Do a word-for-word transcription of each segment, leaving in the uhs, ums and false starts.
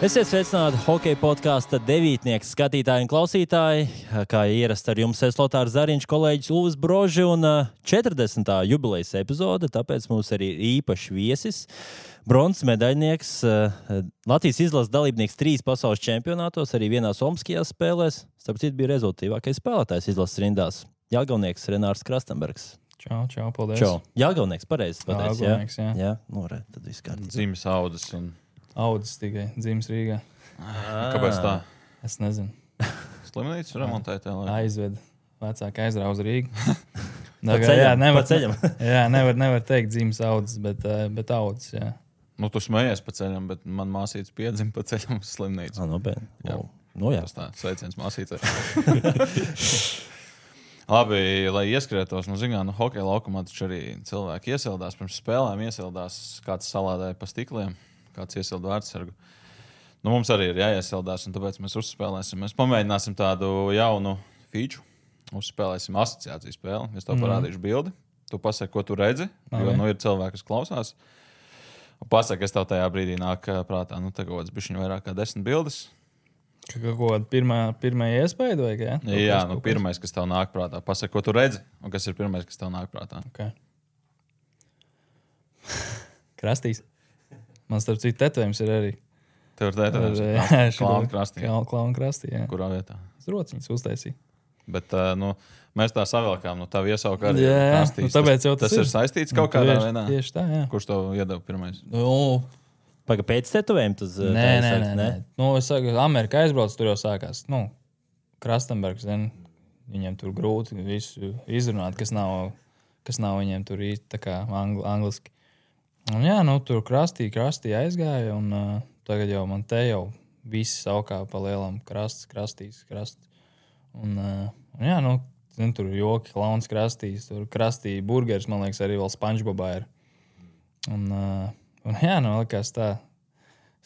Esiet sveicināti hokeja podkāsta devītnieks skatītāji un klausītāji. Kā ierasts ar jums es Lotārs Zariņš, kolēģis Ulvis Broži un četrdesmitā jubilejas epizode, tāpēc mums arī ir īpašs viesis. Bronzas medaļnieks, Latvijas izlases dalībnieks trīs pasaules čempionātos, arī vienā Somskijās spēlēs. Starp citu bija rezultātīvākais spēlētājs izlases rindās. Jālgavnieks Renārs Krastenbergs. Čau, čau, paldies. Čau. Jālgavnieks, pareizi pateicis, jā? Jālgavnieks, jā. Jā, nu, re, tad viss kārtībā. Dzīmes audas un... Audzis tikai, dzīves Rīgā. Kāpēc tā? Es nezinu. Slimnīcu remontēt? Aizved. Vecāki aizrauz Rīgu. Pa ceļam, jā, nevar, pa ceļam. jā, nevar, nevar teikt dzīves audzis, bet, bet audzis, jā. Nu, tu smējies pa ceļam, bet man māsīts piedzim pa ceļam uz slimnīcu. Ah, nu, bet, Jā. oh, nu jā. Tas tā, sveiciens māsīcei. Labi, lai ieskrietos, nu, zinām, nu, hokeja laukumā taču arī cilvēki iesildās, pirms spēlēm iesildās, kāds salādēja pa stikliem, kāds iesilda vārdsargu. Nu, mums arī ir jāiesildās, un tāpēc mēs uzspēlēsim. Mēs pamēģināsim tādu jaunu feature. Uzspēlēsim asociāciju spēli. Es tev parādīšu bildi. Tu pasaki, ko tu redzi, jo nu, ir cilvēki, kas klausās. Un pasaki, es tev tajā brīdī nāk prātā, nu, tā kaut kāds bišķiņ vairāk kā desmit bildes. Kaut kāda pirmā, pirmā iespēja, vai kā? Jā, nu, pirmais, kas tev nāk prātā. Pasaki, ko tu redzi, un kas ir pirmais, kas tev nāk prātā. Okay. Krastīs. Man starp citu tetovējums ir arī. Tev ir tētājums. Jā, Klauna krastī. Klauna krastī, jā. Kurā vietā? Es rociņas uztaisīju. Bet, nu, mēs tā savilkām, nu, tavu iesauku arī jā, krastīs. Nu, tāpēc jau tas, tas ir. Tas ir saistīts kaut kādā tieši, veidā. Tieši tā, jā. Kurš tev iedeva pirmais? Nu, Paga pēc tetovējuma tas... Nē, nē, nē, nē. Nu, es saku, Amerika aizbrauc, tur jau sākās. Nu, Krastenbergs, zin, viņiem tur grūti visu izrunāt, kas nav, kas nav viņiem tur īsti tā kā angli, angliski. Un jā, nu, tur krastī, krastī aizgāja, un uh, tagad jau man te jau visi saukā pa lielam krasts, krastīs, krasts. Un, uh, un jā, nu, zin, tur joki, klauns krastīs, tur krastī burgers, man liekas, arī vēl SpongeBobā ir. Un, uh, un jā, nu, likās tā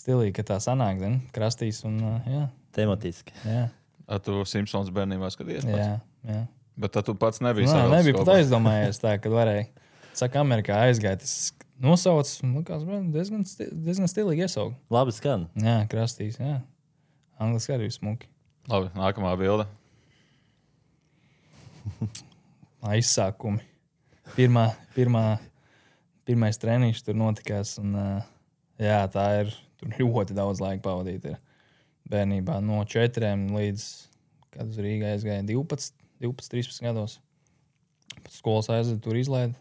stilīgi, ka tā sanāk, zin, krastīs un, uh, jā. Tematiski. Jā. A tu Simpsons bērnībā skaties pats? Jā, jā. Bet tu pats nebija Nā, savilcis nebija pat kopā. aizdomājies tā, kad varēja. Saka, Amerikā aizgāja, tas nosauc, likās, diezgan, sti- diezgan stilīgi iesaukt. Labi skan. Jā, krastīs, jā. Angliski arī smuki. Labi, nākamā bilde. Aizsākumi. Pirmā, pirmā, pirmais treniņš tur notikās, un jā, tā ir, tur ļoti daudz laika pavadīt ir bērnībā. No četriem līdz, kad uz Rīgā aizgāja divpadsmit, divpadsmit, trīspadsmit gados. Pēc skolas aizved, tur izlaida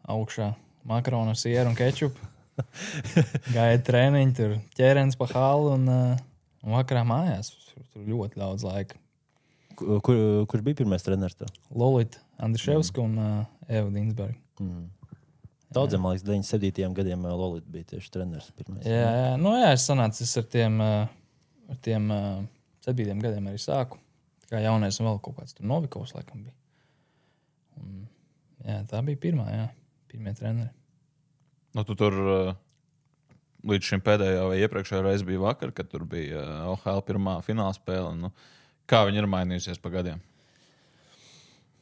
augšā makaronu ar sieru un kečupu. Gāja treniņi, tur ķērens pa halu un, un vakarā mājās. Tur, tur ļoti daudz laika. Kur, kur, kurš bija pirmais treneris tev? Lolita Andriševska mm. un uh, Eva Dinsberga. Mm. Daudziem, man liekas, deviņdesmit septītajiem gadiem Lolita bija tieši treneris pirmais. Jā, jā, nu jā, es sanācu, es ar tiem, uh, ar tiem uh, septītiem gadiem arī sāku. Kā jaunais un vēl kaut kāds tur Novikovs laikam bija. Un, jā, tā bija pirmā, jā. Pirmie treneri. Nu, tu tur uh, līdz šim pēdējā vai iepriekšējā reize bija vakar, kad tur bija uh, O H L pirmā fināla spēle. Nu, kā viņi ir mainījusies pa gadiem?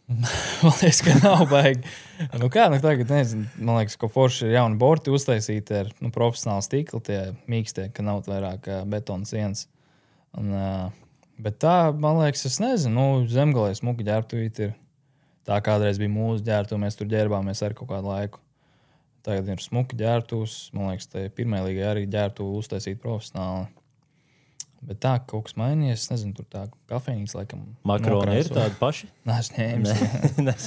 Man liekas, ka nav baigi. Nu kā, nu tagad nezinu, man liekas, ka forši ir jauni borti uztaisīti ar nu, profesionālu stiklu, tie mīkstie, ka nav vairāk uh, betona sienas. Un, uh, bet tā, man liekas, es nezinu, nu, Zemgalē smuki ģērbtuvīt ir. Tā kādreiz bija mūsu ģērbtuve, mēs tur ģērbāmies ar kaut kādu laiku. Tagad ir smuki ģērbtuvs, man liekas, tā pirmajā līgā arī ģērbtuve uztaisīt profesionāli. Bet tā, kaut kas mainījies, es nezinu, tur tā kafejnīca laikam. Makaroni ir tādi paši? Nē, es ņēmis.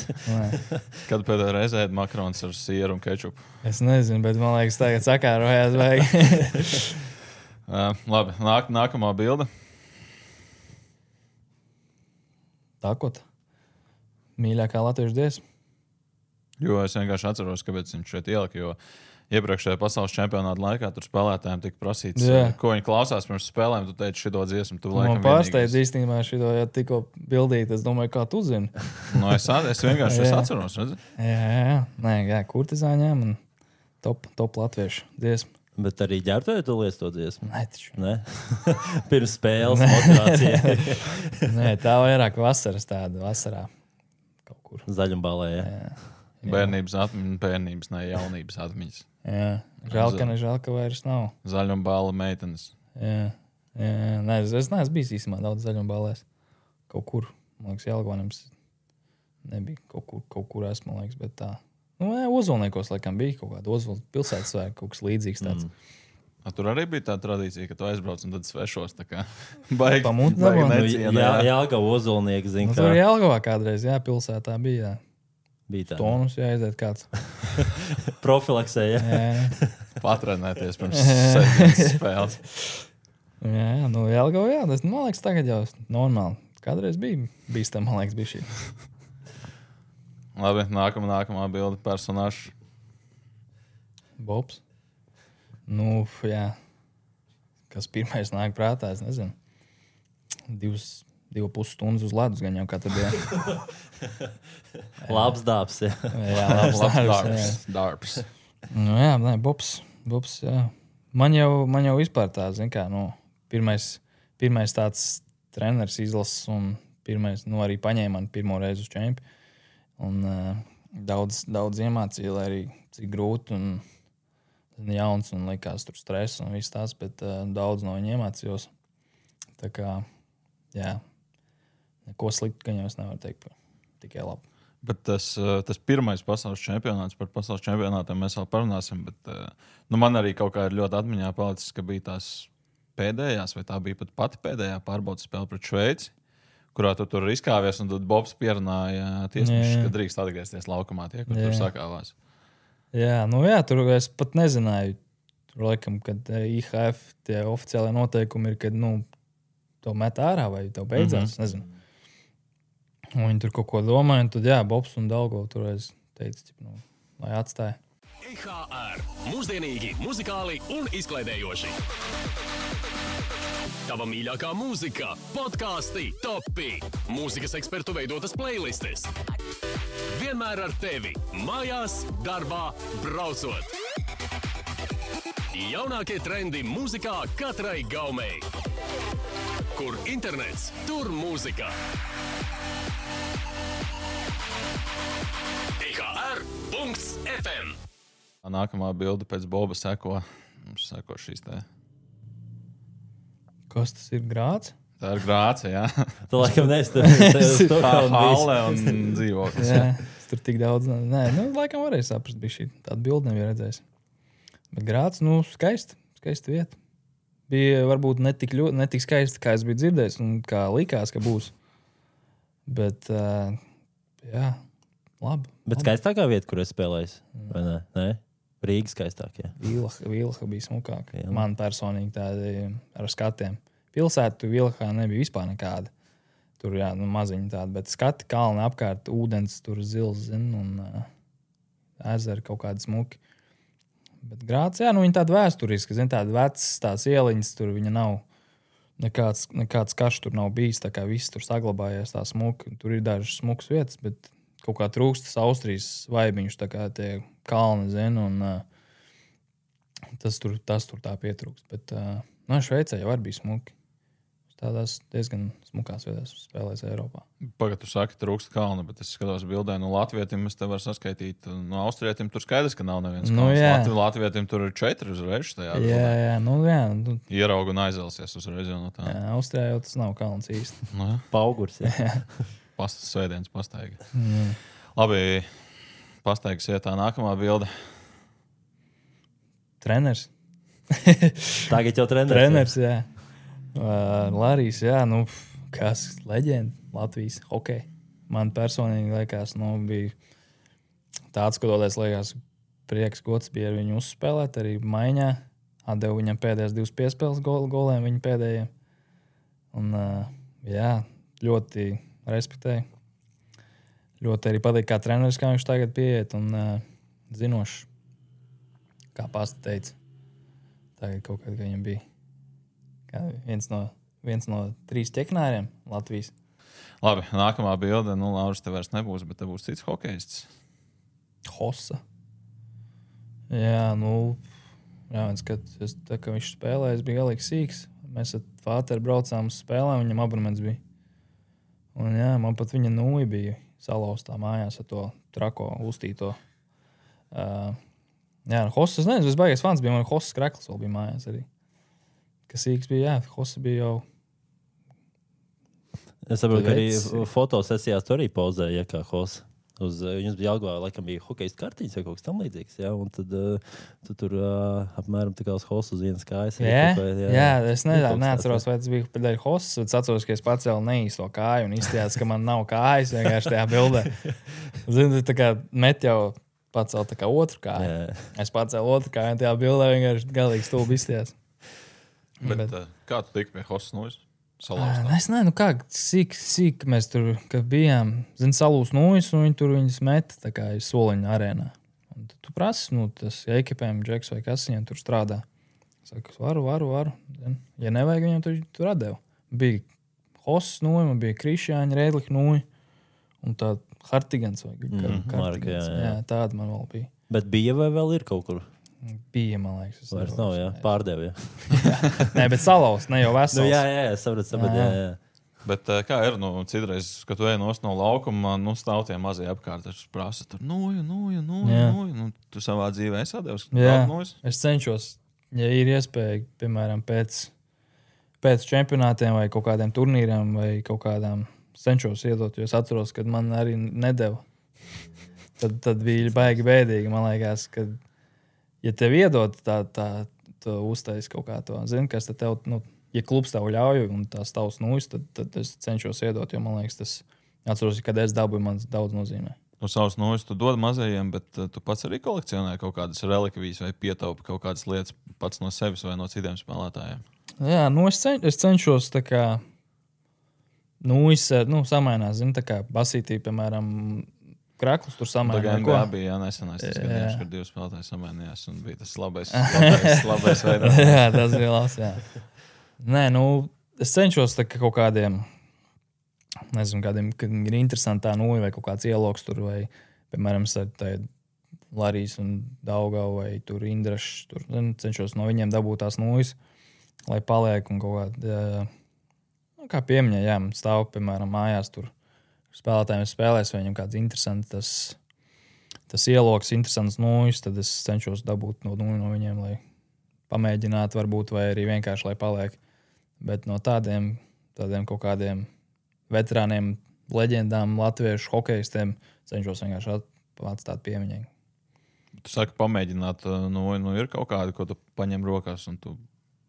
Kad pēdējā reizē ēd makarons ar sieru un kečupu? Es nezinu, bet man liekas, tagad sakārojās vajag. uh, labi, nāk, nākamā bilde. Tākot. Mīļākā latviešu dziesma. Jo es vienkārši atceros, kāpēc viņš šeit ielika, jo iepriekšējā pasaules čempionāta laikā tur spēlētājiem tika prasīts, Jā. ko viņi klausās pirms spēlēm. Tu teici šito dziesmu, tu Man laikam pārsteidz īstenībā šito, ja tikko bildīt, es domāju, kā tu zini. Nu, es, es vienkārši es atceros, redzi? Jā, jā, jā. Nē, jā, kurtizāņām un top, top latviešu dziesma. Bet arī ģērbtuvē tu liec to dziesmu? Nē, taču. Ne? Pirms spēles motivācija. Nē, tā vairāk vasaras tāda, vasarā kaut kur. Zaļumbālē, jā. Jā. Bērnības atmiņas, bērnības, ne jaunības atmiņas. Jā, žēl, ka ne žēl, ka vairs nav. Zaļumbāla meitenes. Jā, jā. Nē, es, es neesmu bijis īstenībā daudz zaļuma balēs. Kaut kur, man liekas, Jelgavanim nebija. Kaut kur, kaut kur esmu, man liekas, bet tā. Nu, jā, Ozolniekos, laikam, bija kaut kāda Ozola pilsētas vai kaut kas līdzīgs tāds. Mm. A, tur arī bija tā tradīcija, ka tu aizbrauc un tad svešos. Tā kā baigi, Pamūt baigi dabū. necienē. Jā, Jelgava Ozolnieki, zin, Nu, kā tur Jelgavā kādreiz, jā, pilsētā bija. Jā. bija tā. Tonus jāaiziet kāds. Profilaksē, jā. Jā, Patrenēties pirms sēdienas spēles. jā, nu Jelgava, jā, tas, man liekas, tagad jau normāli. Kādreiz bija bīstam, man liekas, bija šī. Labi, nākamā, nākamā bilde personāžs. Bobs. Nu, jā. Kas pirmais nāk prātā, es nezinu. Divas, divu pus stundas uz ledus gan jau katru dienu. Labs dāps, jā. Jā, labs Labs darbs. darbs. darbs. Nu, jā, nē, Bobs. Bobs, jā. Man jau, man jau vispār tā, zin kā, nu, pirmais, pirmais tāds treneris izlases un pirmais, nu, arī paņēma man pirmo reizi uz čempi. Un uh, daudz, daudz iemācīja, lai arī cik grūti un jauns un likās tur stress un viss tās, bet uh, daudz no viņa iemācījos. Tā kā, jā, neko sliktu, ka jau es nevaru teikt, tikai labi. Bet tas, tas pirmais pasaules čempionāts, par pasaules čempionātiem mēs vēl parunāsim. Bet, nu, man arī kaut kā ir ļoti atmiņā palicis, ka bija tās pēdējās, vai tā bija pat pati pēdējā pārbaudas spēle pret Šveici, kurā tu tur izkāvies un tad Bobs pierunāja tiesnešus, ka drīkst atgriezties laukumā tie, kur jā. Tur sakāvās. Jā, nu jā, tur es pat nezināju. Tur laikam, kad I H F tie oficiālie noteikumi ir, kad, nu, to met ārā vai tev beidzās, mm-hmm. nezinu. Un viņi tur kaut ko domāja, un tad, jā, Bobs un Dalgo tur es teicu, nu, lai atstāja. I H R. Mūsdienīgi, muzikāli un izklaidējoši. Tava mīļākā mūzika, podkāsti, topi, mūzikas ekspertu veidotas playlistes. Vienmēr ar tevi, mājās, darbā, braucot. Jaunākie trendi mūzikā katrai gaumei. Kur internets, tur mūzika. I H R punkts F M. Nākamā bilde pēc Boba seko, seko šīs te. Kas tas ir, Grāts? Tā ir Grāce, jā. Tu laikam neesi tur Halle un dzīvoklis. Jā, tur tik daudz. Nē, nu, laikam varēja saprast, bija šī tāda bilde nebija redzējis. Bet Grāts, nu, skaisti, skaisti vieta. Bija varbūt netik, ļoti, netik skaisti, kā es biju dzirdējis un kā likās, ka būs. Bet, uh, jā, labi. Bet labi. skaistākā vieta, kur es spēlēju, vai ne? Nē? Rīga skaistākie. Vilha, Vilha bija smukāka. Jā. Man personīgi tādi ar skatiem. Pilsētu Vilhā nebija vispār nekāda. Tur, jā, nu, maziņi tādi, bet skati kalni apkārt, ūdens tur zils, zin, un uh, ezeri kaut kādi smuki. Bet Grāts, jā, nu, viņa tāda vēsturiska, zin, tāda vecas tās ieliņas, tur viņa nav, nekāds, nekāds karš tur nav bijis, tā kā viss tur saglabājies tā smuki. Tur ir dažas smukas vietas, bet kaut kā trūkstas Austrijas vaibiņš, tā kā tie kalni, zin, un uh, tas, tur, tas tur tā pietrūkst. Bet, uh, nu, Šveicē jau arī bija smuki. Tādās diezgan smukās vietās spēlēs Eiropā. Pagad, tu saki, trūkst kalna, bet es skatos bildē, no Latvietim es te varu saskaitīt. No Austrietim tur skaidrs, ka nav neviens kalns. Nu, jā. Latvi, Latvietim tur ir četri uzreiz tajā. Jā, jā, nu, jā. Nu, Ierauga un aizelsies uzreiz jau no tā. jā, Austrijā jau tas nav kalns īsti. Nu, jā. Paugurs, jā. Pastas svētdienas pastaiga. Mm. Labi, pastaigas ietā nākamā bilde. Treners. Tagad jau treneris. Treners, jā. Uh, Larijs, jā, nu, kas leģenda Latvijas hokej. Man personīgi liekas, nu, bija tāds, ko dodēs, liekas, prieks gods bija ar viņu uzspēlēt, arī maiņā. Atdevu viņam pēdējās divas piespēles gol, goliem, viņa pēdējiem. Un, uh, jā, ļoti respektēju. Ļoti arī patīk kā treneris, kā viņš tagad pieiet un uh, zinošs, kā pasta teica. Tagad kaut kad, ka viņam bija kā viens no, viens no trīs ķeknāriem Latvijas. Labi, nākamā bilde. Nu, Lauris, te vairs nebūs, bet te būs cits hokejists. Hossa. Jā, nu, jā, viens, kad es, tā, ka viņš spēlēja, es biju galīgi sīks. Mēs ar Fāteru braucām uz spēlēm, viņam abonements bija. Un jā, man pat viņa nūja bija salauztā mājās ar to trako uztīto. Uh, jā, Hossa, es nezinu, es baigais fans bija, man Hossa krekls vēl bija mājās arī. kas īks bija, jā, Hosa bija jau. Es saprotu, ka arī Veci. fotosesijās tu arī pozēji, ja, kā Hosa. Uz, jums bija Jelgavā, laikam bija hokejas kartiņas vai kaut kas tam līdzīgs, jā, un tad uh, tu tur uh, apmēram tā kā uz Hosu uz vienas kājas. Jā, vai, jā, jā, es nedā, neatceros, vai tas bija pēdēļ Hosas, bet es atceros, ka es pacēlu neīsto kāju un izstījās, ka man nav kājas vienkārši tajā bildē. Zini, tā kā met jau pacēlu tā kā otru kāju. Jā. Es pacēlu otru kāju un tajā bildē vienkārši galīgi stulbi izstījās. Bet, Bet- bet kā tu tiki pie Hosas nojas? Ā, Salauztā. Es nezinu, nu kā sīk, sīk mēs tur kad bijām. Zini, salūs nojas un viņi tur viņus met tā kā iz soliņa arēnā. Un tad tu prasi, nu, tas ja ekipējam džeks vai kas viņiem tur strādā. Saka, varu, varu, varu. Zin. Ja nevajag, viņiem tur, tur atdeva. Bija Hosas noja, man bija Krišjāņa, Rēdlika noja un tā Hartigans vai Mhm, Hartigans. Marka, jā, jā. Jā, tāda man vēl bija. Bet bija vai vēl ir kaut kur? Bija, man liekas. es Vairs nevaru nav, jā, atcerēties. pārdev, jā. Nē, bet salauz, ne jau vesels. Nu, jā, jā, jā, sapratu, sapratu, jā, jā. Bet eh, kā ir, nu, citreiz, kad tu ej nost no laukuma, nu, stāv tie mazie apkārt, tas prasa tur, noju, noju, noju, Jā. noju. Nu, tu savā dzīvē esi atdevis Jā. daudz nojas. Es cenšos, ja ir iespēja, piemēram, pēc, pēc čempionātiem vai kaut kādiem turnīriem vai kaut kādām, cenšos iedot, jo es atceros, kad man arī nedeva. Tad, tad bija baigi bēdīgi, man liekas, ka, ja tev iedod tā, tā, tā uztais kaut kā to, zini, kas tad tev, nu, ja klubs tev ļauj un tās tavs nūjas, tad, tad es cenšos iedot, jo man liekas, tas, atceros, kad es dabūju, man daudz nozīmē. Nu, savus nojas tu dod mazajiem, bet uh, tu pats arī kolekcionē kaut kādas relikvijas vai pietaupi kaut kādas lietas pats no sevis vai no citiem spēlētājiem. Jā, nu es, cen, es cenšos tā kā, nu, es, nu, samainās, zini, tā kā basītī, piemēram, kraklus tur Tā samainās. kā N B A bija jā, nesenais tas gadījums, kad divi spēlētāji samainījās un bija tas labais, labais, labais veids. Jā, tas bija labs, jā. Nē, nu, es cenšos tā kā kaut kādiem, nezinu, kādiem, kad ir interesantā nūja vai kaut kāds ieloks tur, vai, piemēram, tā Larijas un Daugava vai tur Indrašs, tur, zinu, cenšos no viņiem dabūt tās nūjas, lai paliek un kaut kādā, jā, nu, kā piemiņā, jā, man stāv, piemēram, mājās tur spēlētājiem spēlēs, vai viņam kāds interesants tas, tas ieloks, interesants nūjas, tad es cenšos dabūt no nūju no viņiem, lai pamēģinātu varbūt, vai arī vienkārši, lai paliek. Bet no tādiem, tādiem kaut kādiem veterāniem, leģendām, latviešu hokejistiem cenšos vienkārši at, atstāt piemiņai. Tu saki, pamēģināt, nu, nu ir kaut kāda, ko tu paņem rokās un tu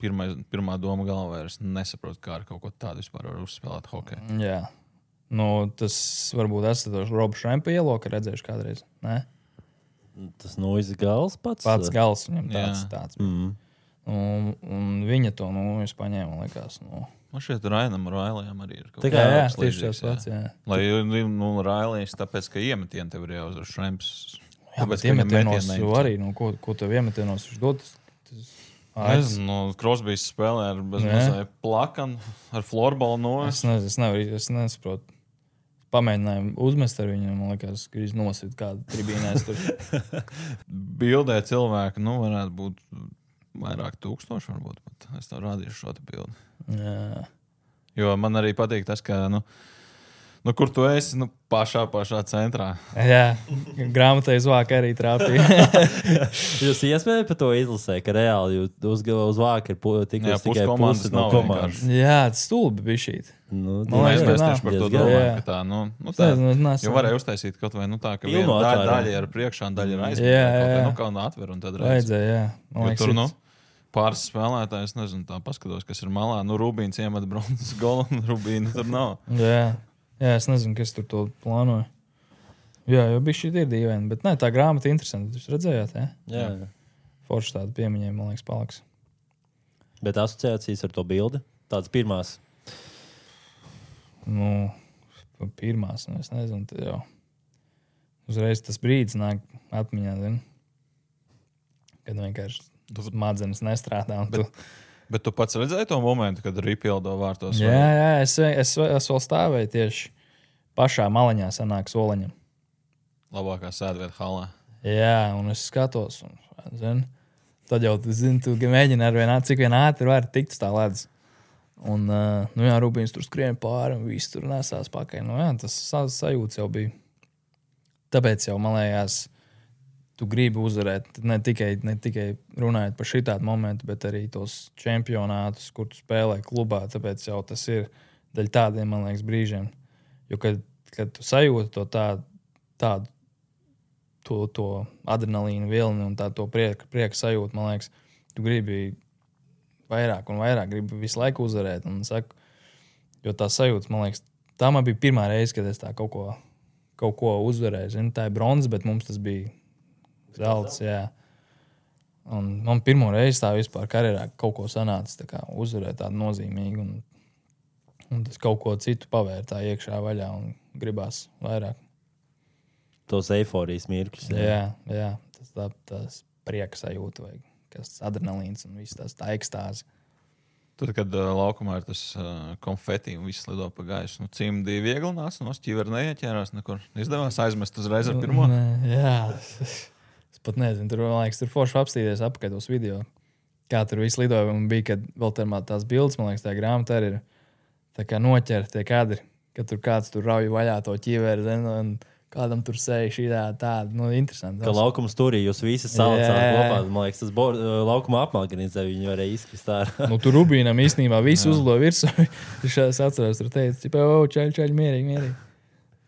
pirmais, pirmā doma galvā ir, es nesaprotu, kā ar kaut ko tādu vispār var uzspēlēt hokeju. Jā. Nu, tas varbūt esat tos Robu Šrempa ieloku redzējuši kādreiz. Ne? Tas nojas gals pats. Pats gals viņam tāds. Jā. tāds. Mm. Un, un viņa to, nu, es paņēmu, man liekas, nu. Man šeit Rainam Railējam arī ir kaut Tā Jā, kā jā, kas tieši līdzīgs, tas pats, jā. Lai, nu, Railējs, tāpēc, ka iemetieni tev ir jāuzvar šremps. Jā, bet iemetienos arī, nu, ko, ko tev iemetienos viņš dod? Tas, Es nezinu, nu, Krosbijs spēlē ar bezmazai plakanu, ar florbalu nojas. Es, ne, es, nevaru, es nesaprotu. Pamēģinājumu uzmest ar viņu, man liekas, ka viņš nosit kādu tribīnēs tur. Bildē cilvēki, nu, varētu būt vairāk tūkstoši, varbūt pat. Es tev rādīšu šo te bildi. Jā. Jo man arī patīk tas, ka, nu, nu kur tu esi, nu, pašā, pašā centrā. Jā, grāmatā izvāka arī trāpīja. Jūs iespējams par to izlasē, ka reāli jūs uz, uz vāka ir pu- tikai Jā, pusi tikai komandas pusi no nav komandas. Jā, tas stulbi bija šī. Nu, Man Mēs, liekas, mēs ka tieši par to diezgan. domājam, Jā. ka tā, nu, nu tā, Es neesmu- jo varēja uztaisīt kaut vai, nu tā, ka Pilnu viena daļa, atvērumu. daļa ir priekšā un daļa ir aizmugurē. Jā, kaut vai, jā. Nu, kā un atver un tad redz. Vajadzēja, jā. Man Jo liekas, tur, nu, ir- pāris spēlētājs, nezinu, tā paskatos, kas ir malā. Nu, Rubīns iemet bronzas golu un Rubīna tur nav. Jā. Jā, es nezinu, kas tur to plānoja. Jā, jau bija šī ir dīvaina, bet nē, tā grāmata ir interesanta. Jūs redzējāt, jā? jā. Forši tāda piemiņai, man liekas, paliks. Bet asociācijas ar to bildi, tādas pirmās. Nu, pirmās, nu, es nezinu, tad jau uzreiz tas brīdis nāk atmiņā, zini? Kad vienkārši smadzenes nestrādā. Un tu... Bet tu pats redzēji to momentu, kad Rīpildo vārtos? Jā, jā, es, es, es vēl stāvēju tieši pašā maliņā sanāk soliņam. Labākā sēdvieta halā. Jā, un es skatos, un, zini, tad jau tu zini, tu mēģini ar vien, cik vien ātri var tikt uz tā ledus. Un, uh, nu jā, Rubīns tur skrien pāri un viss tur nesās pakaļ. Nu jā, tas sa- sajūts jau bija. Tāpēc jau, man liekas, tu gribi uzvarēt ne tikai, ne tikai runājot par šitādu momentu, bet arī tos čempionātus, kur tu spēlē klubā. Tāpēc jau tas ir daļa tādiem, man liekas, brīžiem. Jo, kad, kad tu sajūti to tādu, tādu to, to adrenalīnu vilni un tā, to prieka, prieka sajūtu, man liekas, tu gribi vairāk un vairāk, gribi visu laiku uzvarēt. Un saku, jo tā sajūta, man liekas, tā man bija pirmā reize, kad es tā kaut ko, kaut ko uzvarēju. Zinu, tā ir bronza, bet mums tas bija zelts, jā. Un man pirmo reizi tā vispār karjerā kaut ko sanāca tā kā uzvarēt tādu nozīmīgu. Un, un tas kaut ko citu pavēr tā iekšā vaļā un gribās vairāk. Tos eiforijas mirkļus. Jā, jā, jā tas tā, tas prieka sajūta vai kas adrenalīns un viss tas tā ekstāzi. Tad, kad uh, laukumā ir tas uh, konfeti un viss lido pa gaisu, nu cimdi viegli nāca, no ķivera neieķērās nekur. Izdevās aizmest uzreiz ar pirmo? Nē, jā. Es pat nezinu, tur, man liekas, tur forši apstīties apakaļ tos video. Kā tur viss lidoja un bija, kad vēl tā tās bildes, man liekas, tā grāmata arī ir tā kā noķer tie kadri, kad tur kāds tur rauj vaļā to ķiveri, zin, un kādam tur sēja šī tā, tāda, nu, interesanti. Ka laukums turī jūs visi salicāt kopā, man liekas, tas bor, laukuma apmāganīzē viņi varēja izkrist ārā. Nu, tur Rubīnam īstenībā visu uzlido virsū. Es atceros, tur teica, o, čaļ, čaļ, mierīgi, mierīgi.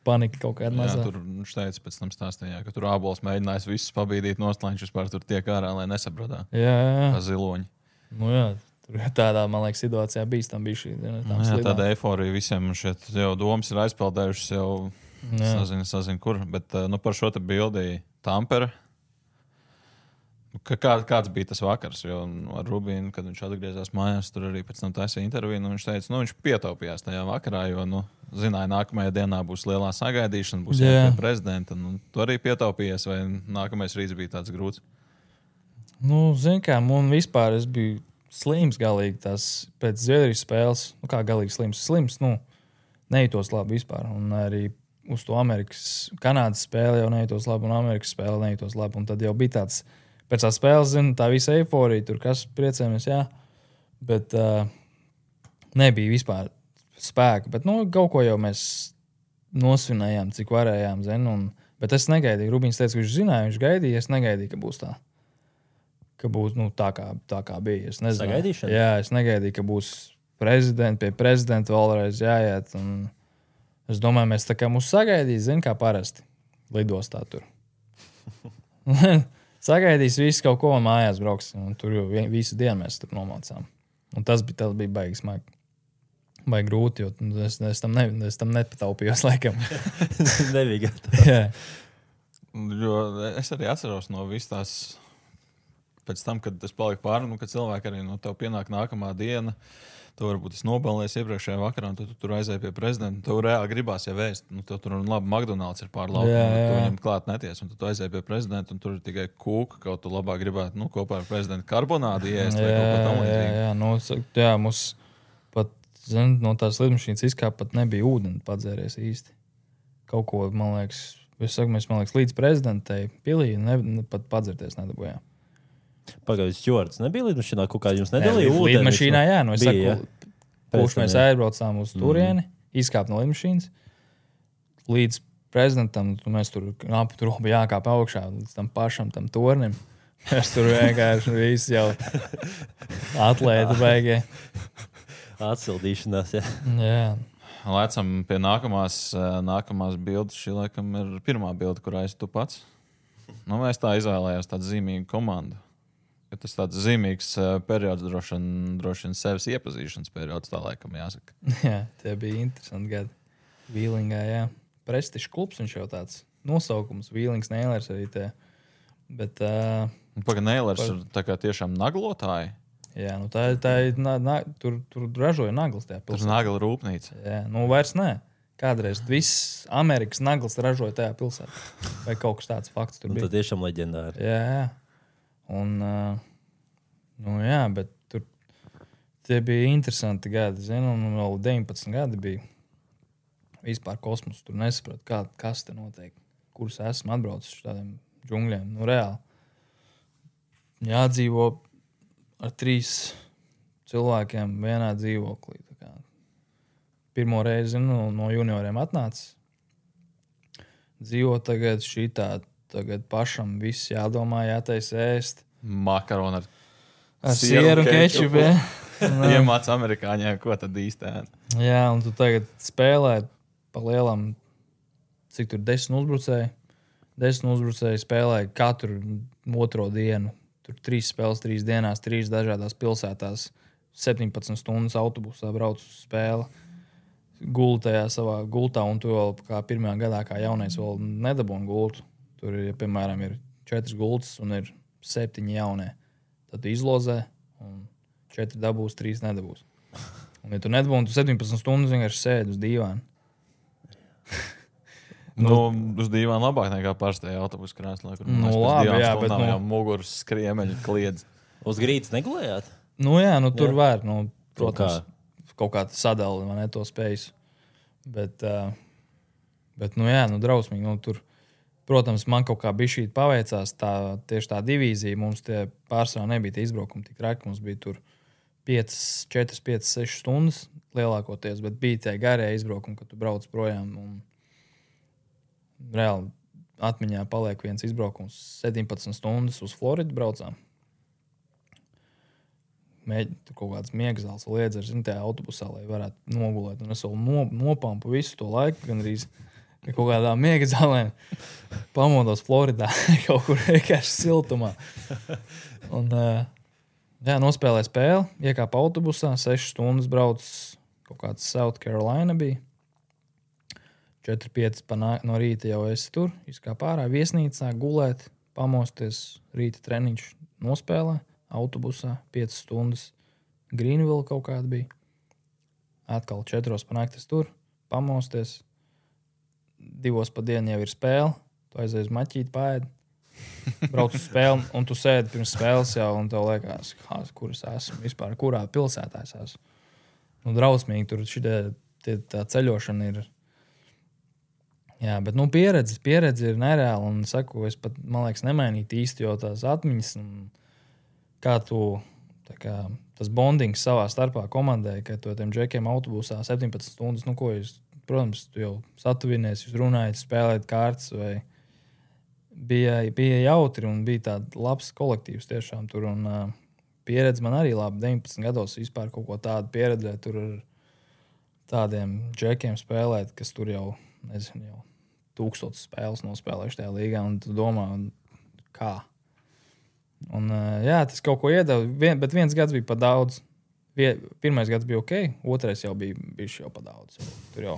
Panika kaut kāda mazā. Jā, tur viņš teica pēc tam stāstījā, ka tur ābols mēģinājis visus pabīdīt nost, lai viņš vispār tur tiek ārā, lai nesaprodā. Jā, jā. Kā ziloņi. Nu jā, tur tādā, man liekas, situācijā bīstam bija šī. Nu, jā, tāda eiforija visiem šeit jau domas ir aizpeldējušas jau sazina, sazina kur. Bet nu, par šo te bildi Tampere. Kā, kāds bija tas vakars? Jo ar Rubīnu, kad viņš atgriezās mājās, tur arī pēc tam taisīja interviju. Nu, viņš teica, nu, viņš pietaupījās tajā vakarā, jo, nu, zināja, nākamajā dienā būs lielā sagaidīšana, būs jāpie prezidenta. Nu, tu arī pietaupījies, vai nākamais rīts bija tāds grūts? Nu, zin kā, man vispār es biju slims galīgi tās pēc Zviedrijas spēles. Nu, kā galīgi slims? Slims, nu, nejūtos labi vispār. Un arī uz to Amerikas, Kanādas spēli jau nejūtos labi, un Amerikas spēli nejūtos labi. Un tad jau bija tāds, pēc tā spēles, zinu, tā visa eiforija, tur kas priecējamies, jā. Bet uh, nebija vispār spēka. Bet, nu, kaut ko jau mēs nosvinējām, cik varējām, zinu. Un, bet es negaidīju. Rubīns teica, ka viņš zināja, viņš gaidīja, es negaidīju, ka būs tā. Ka būs, nu, tā kā, tā kā bija. Es nezinu. Sagaidīšana? Jā, es negaidīju, ka būs prezidenti, pie prezidenta vēlreiz jāiet. Un es domāju, mēs tā kā mūs sagaidīs, zinu, kā parasti. Lidostā tur. Sagaidīs visu kaut ko un mājās brauks. Un tur jau visu dienu mēs tur nomācām. Un tas bija, tas bija baigi smagi. Baigi grūti, jo es, es tam, ne, es tam nepataupījos laikam. Nebija Jā. Jo es arī atceros no vis tās, pēc tam, kad es paliku pāri, nu, kad cilvēki arī no tev pienāk nākamā diena, tu varbūt es nobalējies iepriekšējā vakarā, un tu, tu tur aizēji pie prezidenta, tev reāli gribās jau vēst, nu, tev tur labi McDonald's ir pār lauku, tu viņam klāt neties, un tu, tu aizēji pie prezidenta, un tur ir tikai kūka, kaut tu labāk gribētu, nu, kopā ar prezidentu karbonādu iest, vai kaut ko tam līdzīgi. Jā, jā, nu, jā, mums pat, zin, no tās lidmašīnas izkāp pat nebija ūdeni padzēries īsti. Kaut ko, man liekas, es saku, mēs, man liekas, līdz prezidentei pilī ne, ne, pat padzerties nedabujām. Pagaidzi, Stjorts nebija lidmašīnā, kaut kā jums nedalīja ūdeni? Lidmašīnā, jā, nu es bija, saku, kurš mēs aizbraucām uz turieni, mm. izkāp no lidmašīnas, līdz prezidentam, mēs tur, ap, tur bija jākāp augšā, līdz tam pašam, tam tornim. Mēs tur vienkārši visi jau atlēti beigie. Atsildīšanās, jā. Jā. Lecam pie nākamās, nākamās bildes. Šī laikam ir pirmā bilde, kur aiz tu pats. Nu, mēs tā izvēlējās tādu zīmīgu komandu. Ka tas tāds zīmīgs uh, periods, droši vien, droši vien sevis iepazīšanas periods, tā laikam jāsaka. Jā, tie bija interesanti gadi. Vīlingā, jā. Prestižs klubs viņš jau tāds nosaukums. Vīlings, Neilers arī tie. Bet... Uh, Paga Neilers par... ir tā kā tiešām naglotāji. Jā, nu tā, tā ir, na, na, tur, tur ražoja naglas tajā pilsētā. Tur nagla rūpnīca. Jā, nu vairs nē. Kādreiz viss Amerikas naglas ražoja tajā pilsētā. Vai kaut kas tāds fakts tur bija. Nu, tā tiešām leģendāri. Jā, jā. Un, uh, nu jā, bet tur tie bija interesanti gadi, zinu, un vēl deviņpadsmit gadi bija vispār kosmos. Tur nesapratu, kā, kas te notiek, kurus esmu atbraucis uz tādiem džungļiem. Nu, reāli. Jādzīvo ar trīs cilvēkiem vienā dzīvoklī. Tā kā pirmo reizi, zinu, no junioriem atnācis. Dzīvo tagad šī tā tagad pašam viss jādomā, jātaisa ēst. Makaroni ar, ar sieru un kečupu. Iemāc amerikāņiem, ko tad īsti ēd. Jā, un tu tagad spēlē pa lielam, cik tur desmit uzbrucēji. Desmit uzbrucēji spēlē katru otro dienu. Tur trīs spēles, trīs dienās, trīs dažādās pilsētās. septiņpadsmit stundas autobusā brauc uz spēli. Guli tajā savā gultā, un tu vēl kā pirmajā gadā, kā jaunais, vēl nedabūni gultu. Tur, ja, piemēram, ir četras gultas un ir septiņi jaunie. Tad tu izlozē, un četri dabūs, trīs nedabūs. Un, ja tu nedabūni, tu septiņpadsmit stundas vienkārši sēdi uz dīvāna. Nu, uz dīvāna labāk nekā parastajā autobusu krēslā. Nu, labi, jā, bet nu... nu... muguras skriemeļi kliedz. Uz grīdas negulējāt? Nu, jā, nu, tur jā. Var, nu, Kaut protams, kā. kaut kā sadali, man ne to spējas. Bet, uh, bet, nu, jā, nu, drausmīgi, nu, tur, protams, man kaut kā bišķīt paveicās, tā, tieši tā divīzija, mums tie pārsvarā nebija tie izbraukumi tik raki, mums bija tur piecas, četras, piecas, sešas stundas lielākoties, bet bija tie garie izbraukumi, kad tu brauc projām, un reāli atmiņā paliek viens izbraukums septiņpadsmit stundas uz Floridu braucām. Mēģināt kaut kādas miegzāles liedzers, zin, tajā autobusā, lai varētu nogulēt. Un es vēl no, nopampu visu to laiku, gan arī kaut kādā miegzālēm pamodos Floridā, kaut kur vienkārši siltumā. Un, jā, nospēlē spēli, iekāpa autobusā, sešas stundas brauc kaut kāds South Carolina bija. četri pieci no rīta jau esi tur, izkāpa ārā, viesnīcā, gulēt, pamosties, rīta treniņš nospēlē, autobusā, piecas stundas, Greenville kaut kāda bija. Atkal četros pa naktis tur, pamosties, divos pa dienu jau ir spēle, tu aizies maķīt paēd, brauc uz spēli, un tu sēdi pirms spēles jau, un tev liekas, kā, kur es esmu, vispār, kurā pilsētā es esmu. Nu, drausmīgi, tur šitie, tie, tā ceļošana ir. Jā, bet, nu, pieredze, pieredze ir nereāla, un saku, es pat, man liekas, nemainītu īsti, jo tās atmiņas, un kā tu, tā kā, tas bondings savā starpā komandē, ka tu tiem džekiem autobusā septiņpadsmit stundas, nu, ko jūs, protams, tu jau satuvinies, jūs runājat, spēlējat kārtas, vai bija, bija jautri, un bija tāds labs kolektīvs tiešām tur, un uh, pieredze man arī labi, deviņpadsmit gados vispār kaut ko tādu pieredzēt, tur ar tādiem džekiem spēlēt, kas tur jau, nezinu, jau tūkstotis spēles nospēlējuši tajā līgā, un tu domā, un kā. Un, jā, tas kaut ko iedeva, vien, bet viens gads bija pa daudz. Vie, pirmais gads bija ok, otrais jau bija bišķi jau pa daudz. Tur jau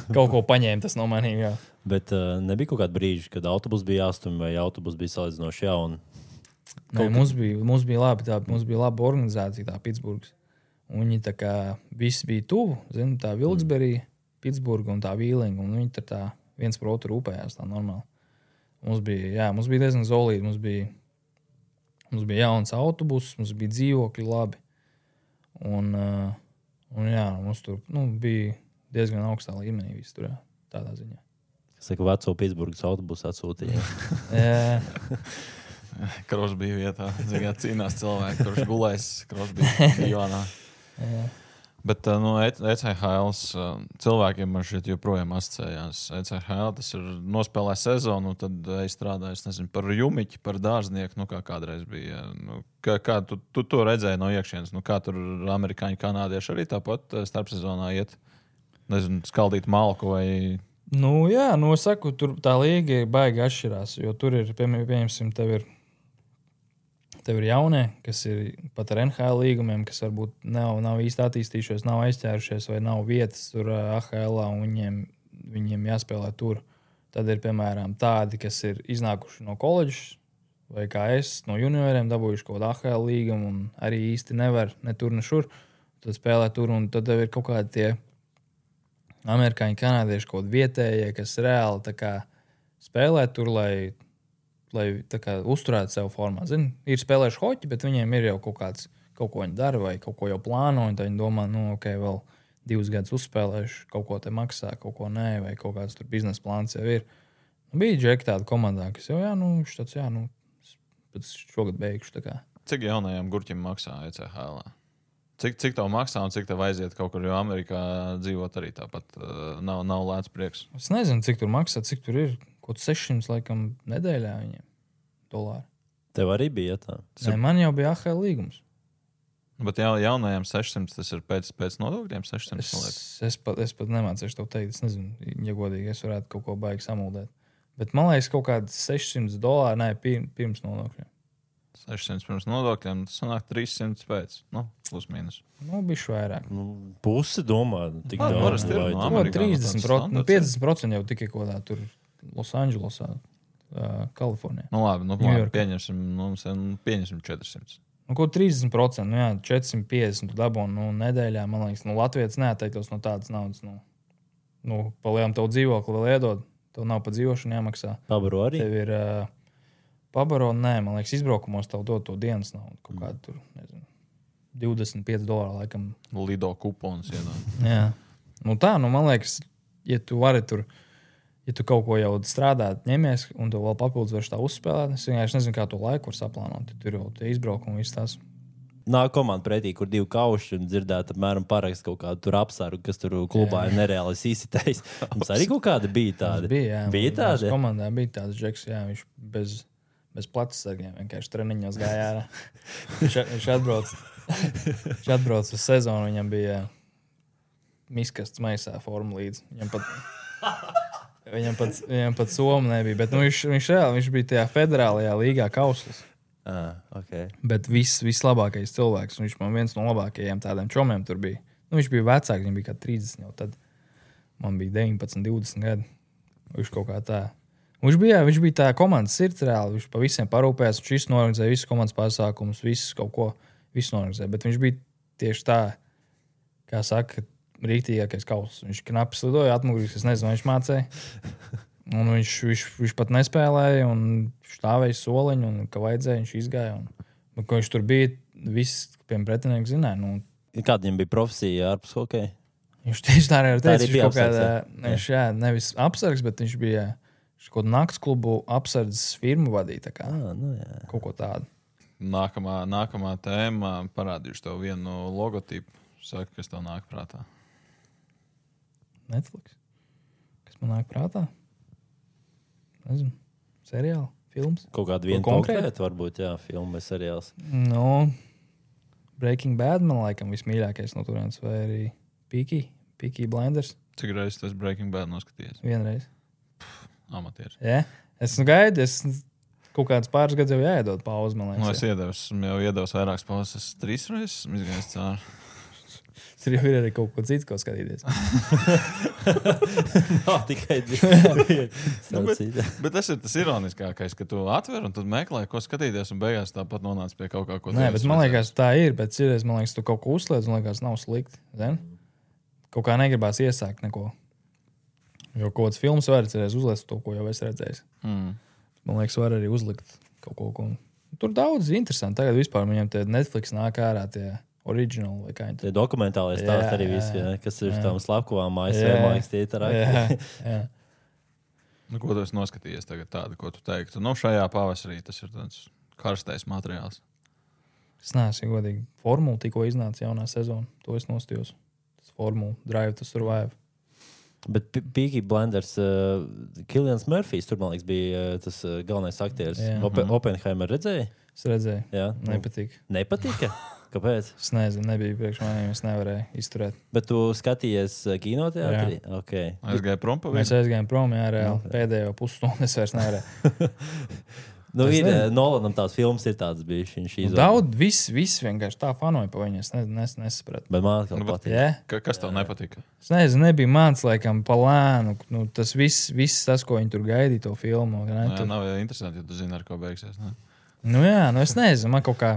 kaut ko paņēma tas no manīm, jā. Bet uh, nebija kaut kāda brīža, kad autobus bija jāstum vai autobus bija salīdzinoši jauni? Nē, mums bija, mums bija labi, tā, mums bija laba organizācija, tā Pitsburgas. Un viņi tā kā viss bija tuvu, zinu, tā Vilksberija, Pitsburga un tā Vīlinga, un viņi tā viens par otru rūpējās tā normāli. Mums bija, jā, mums bija diezgan zolīti, mums bija, mums bija jauns autobus, mums bija dzīvokļi labi, un, uh, un jā, mums tur, nu, bija diezgan augstā līmenī viss tur, jā, tādā ziņā. Es saku, veco Pitsburgas autobusu atsūtīja. Jā. Krošs bija vietā, zināt, cīnās cilvēki, kurš gulēs, Krošs bija Ivānā. Jā. Bet nu, E C H L cilvēkiem man šeit joprojām asociējās. E C H L tas ir nospēlē sezonu, tad es strādāju, es nezinu, par jumiķi, par dārznieku, nu kā kādreiz bija. Nu, kā, kā tu, tu to redzēji no iekšienes? Nu, kā tur amerikāņi, kanādieši arī tāpat starpsezonā iet? Nezinu, skaldīt malku vai... Nu jā, nu es saku, tur tā līga baigi atšķirās, jo tur ir, pieņemsim, tev ir Tev ir jaunie, kas ir pat ar N H L līgumiem, kas varbūt nav, nav īsti attīstījušies, nav aizķērušies vai nav vietas tur A H L un viņiem, viņiem jāspēlē tur. Tad ir, piemēram, tādi, kas ir iznākuši no koledžas vai kā es, no junioriem dabūjuši kaut kādu A H L līgumu un arī īsti nevar ne tur, ne šur. Tad spēlē tur un tad tev ir kaut kādi tie amerikāņi, kanādieši, kaut vietējie, kas reāli tā kā spēlē tur, lai... lai tā kā uzturētu sev formā. Zini, ir spēlējuši hoķi, bet viņiem ir jau kaut kāds, kaut ko viņi dara vai kaut ko jau plāno, un tad viņi domā, nu, ok, vēl divus gadus uzspēlējuši, kaut ko te maksā, kaut ko nē, vai kaut kāds tur biznesa plāns jau ir. Nu, bija džeki tāda komandā, kas jau, jā, nu, štāds, jā, nu, pēc šogad beigšu, tā kā. Cik jaunajiem gurķiem maksā E C H L? Cik, cik tev maksā un cik tev aiziet kaut kur, jo Amerikā dzīvot arī tāpat uh, nav, nav lēts prieks? Es nezinu, cik tur maksā, cik tur ir. kaut sešsimt laikam nedēļā viņiem dolāri. Tev arī bija tā. Nē, man jau bija A H L līgums. Bet jau jaunajiem sešsimt tas ir pēc, pēc nodokļiem sešsimt. Es, es, pat, es pat nemācīšu tev teikt, es nezinu, ja godīgi, es varētu kaut ko baigi samuldēt. Bet man liekas, kaut kādi sešsimt dolāri, nē, pirms nodokļiem. sešsimt pirms nodokļiem, tas sanāk trīssimt pēc, nu, plus mīnus. Nu, bišķi vairāk. Nu, pusi domā, tik Labi, daudz. parasti ir, vai no tu- Amerikā trīsdesmit tāds procenti, standarts piecdesmit procenti jau tikai kaut kādā tur Losandželosā, uh, Kalifornijā. Nu, labi, nu, Ņujorkā. labi pieņemsim, nu, mums ir, nu, pieņemsim četrsimt. Nu, ko trīsdesmit procenti, nu jā, četri piecdesmit dabūnu nu, nedēļā, man liekas, nu, Latvijas neatteiktos no tādas naudas. Nu, nu palielam tev dzīvokli vēl iedod, tev nav pa dzīvošanu jāmaksā. Pabaro arī. Tev ir uh, pabaro, nē, man liekas, izbraukumos tev dod to dienas naudu. Kaut kādu tur, nezinu, divdesmit pieci dolāri laikam. Lido kupons iedod. Jā. Nu tā, nu man liekas, ja tu vari tur, ja tu kaut ko jau strādāt, ņemies, un tu vēl papildus vairs tā uzspēlēt, es vienkārši nezinu, kā to laiku var saplānot. Tur jau tie izbraukumi viss tās. Nāk komanda pretī, kur divi kauši un dzirdēt, apmēram parakst kaut kādu tur apsargu, kas tur klubā ir nereāli izsitējis. Mums arī kaut kāda bija tāda. Bija, jā. Bija tāda? Mūsu komandā bija tāds džeks, jā, viņš bez, bez plats sargiem vienkārši treniņos gāja ārā. viņš, viņš atbrauc, viņš atbrauc uz sezonu, viņam bija miskasts maisā forma līdzi. Viņam pat, viņam pat, viņam pat soma nebija, bet nu, viņš, viņš, reāli, viņš bija tajā federālajā līgā kauslis. Ah, okay. Bet viss, vislabākais cilvēks, un viņš man viens no labākajiem tādiem čomiem tur bija. Nu, viņš bija vecāks, viņam bija kā trīsdesmit jau tad. Man bija deviņpadsmit, divdesmit gadi. Viņš kaut kā tā. Un viņš bija, viņš bija tā komandas sirds reāli. Viņš pa visiem parūpējās, viņš visu norganizēja, visu komandas pasākumus, visu kaut ko, visu norganizēja. Bet viņš bija tieši tā, kā saka, rīktīgākais kauslis. Viņš knapi slidoja, atmugurīgs, es nezinu, vai viņš mācēja. Un viņš, viņš, viņš pat nespēlēja, un stāvēja soliņu, un kā vajadzēja, viņš izgāja. Un, un, ko viņš tur bija, viss piem pretinieki zināja. Nu, Kāda viņam bija profesija ārpus hokeja? viņš tieši tā arī Tā teica, arī viņš bija kaut kādā, apsargs, viņš, jā, nevis apsargs, bet viņš bija viņš kaut kādu nakts klubu apsardzes firmu vadīja, tā kā Ah, nu jā. kaut ko tādu. Nākamā, nākamā tēma parādīšu tev vienu logotipu. Saka, kas tev nāk prātā. Netflix. Kas man nāk prātā? Nezinu. Seriāli, films. Kaut kāda viena konkrēta? konkrēta, varbūt, jā, filma vai seriāls. No, Breaking Bad man laikam vismīļākais no turienes, vai arī Peaky, Peaky Blinders. Cik reizes tas Breaking Bad noskatījies? Vienreiz. Amatieris. Ja? Es nu gaidu, es kaut kāds pāris gadus jau jāiedod pauzi, man Nu, liekas. es iedevu, esmu jau iedevis vairākas pauzes. Es trīs reizes esmu izgājis cauri. Tur jau ir arī kaut ko citu, ko skatīties. Nav tikai divi. Nu, bet, bet tas ir tas ironiskākais, ka tu atver un tad meklē, ko skatīties, un beigās tāpat nonāc pie kaut kā, ko Nē, tu bet esi man redzējis. liekas, tā ir. Bet citreiz, man liekas, tu kaut ko uzliec, un liekas, nav slikti. Zin? Kaut kā negribās iesākt neko. Jo kaut kāds filmas var cerēs uzlikt to, ko jau es redzēju. Mm. Man liekas, var arī uzlikt kaut ko. ko... Tur daudz interesanti. Tagad vispār viņam tie Netflix nāk ārā tie oriģināli vai kā viņi Tie dokumentālais stāsts Jā, arī jā, viss, jā, kas ir jā. tam slepkavām, A S V Jā. mājas tie ir Jā, arī. jā. Nu, ko tu esi noskatījies tagad tādu, ko tu teiktu? Nu, šajā pavasarī tas ir tāds karstais materiāls. Es neesmu godīgi. Formula tikko iznāca jaunā sezona. To es nostījos. Tas formula Drive to Survive. Bet P- Peaky Blinders, uh, Kilians Murphys, tur, man liekas, bija uh, tas uh, galvenais aktieris. Jā. Open, Oppenheimer redzēja? Es redzēju. Jā. Nu, Nepatīk. Nepatika? Kāpēc? Es nezinu, nebija priekš maniem, es nevarēju izturēt. Bet tu skatījies uh, kinoteātrī? Okay. Es gāju prom pa Mēs vienu. aizgājām prom, jā, reāli. Pēdējo pusstundu es vairs nevarēju. Nu, Es ir, nezinu. uh, Nolanam tās filmas ir tādas bijušas. Viņš Nu, izvēlējās. daudz, viss, viss vienkārši tā fanoja pa viņu. Es ne, nes, nesapratu. Bet man atkal Nu, bet- patīk. Jā, Ka, kas tev nepatika? es nezinu, nebija mans, laikam, pa lēnu. Nu, tas viss, viss tas, ko viņi tur gaidīja, to filmu. Ne, Jā, tur... nav jau interesanti, ja tu zini, ar ko beigsies. Ne? Nu, jā, nu es nezinu, man kaut kā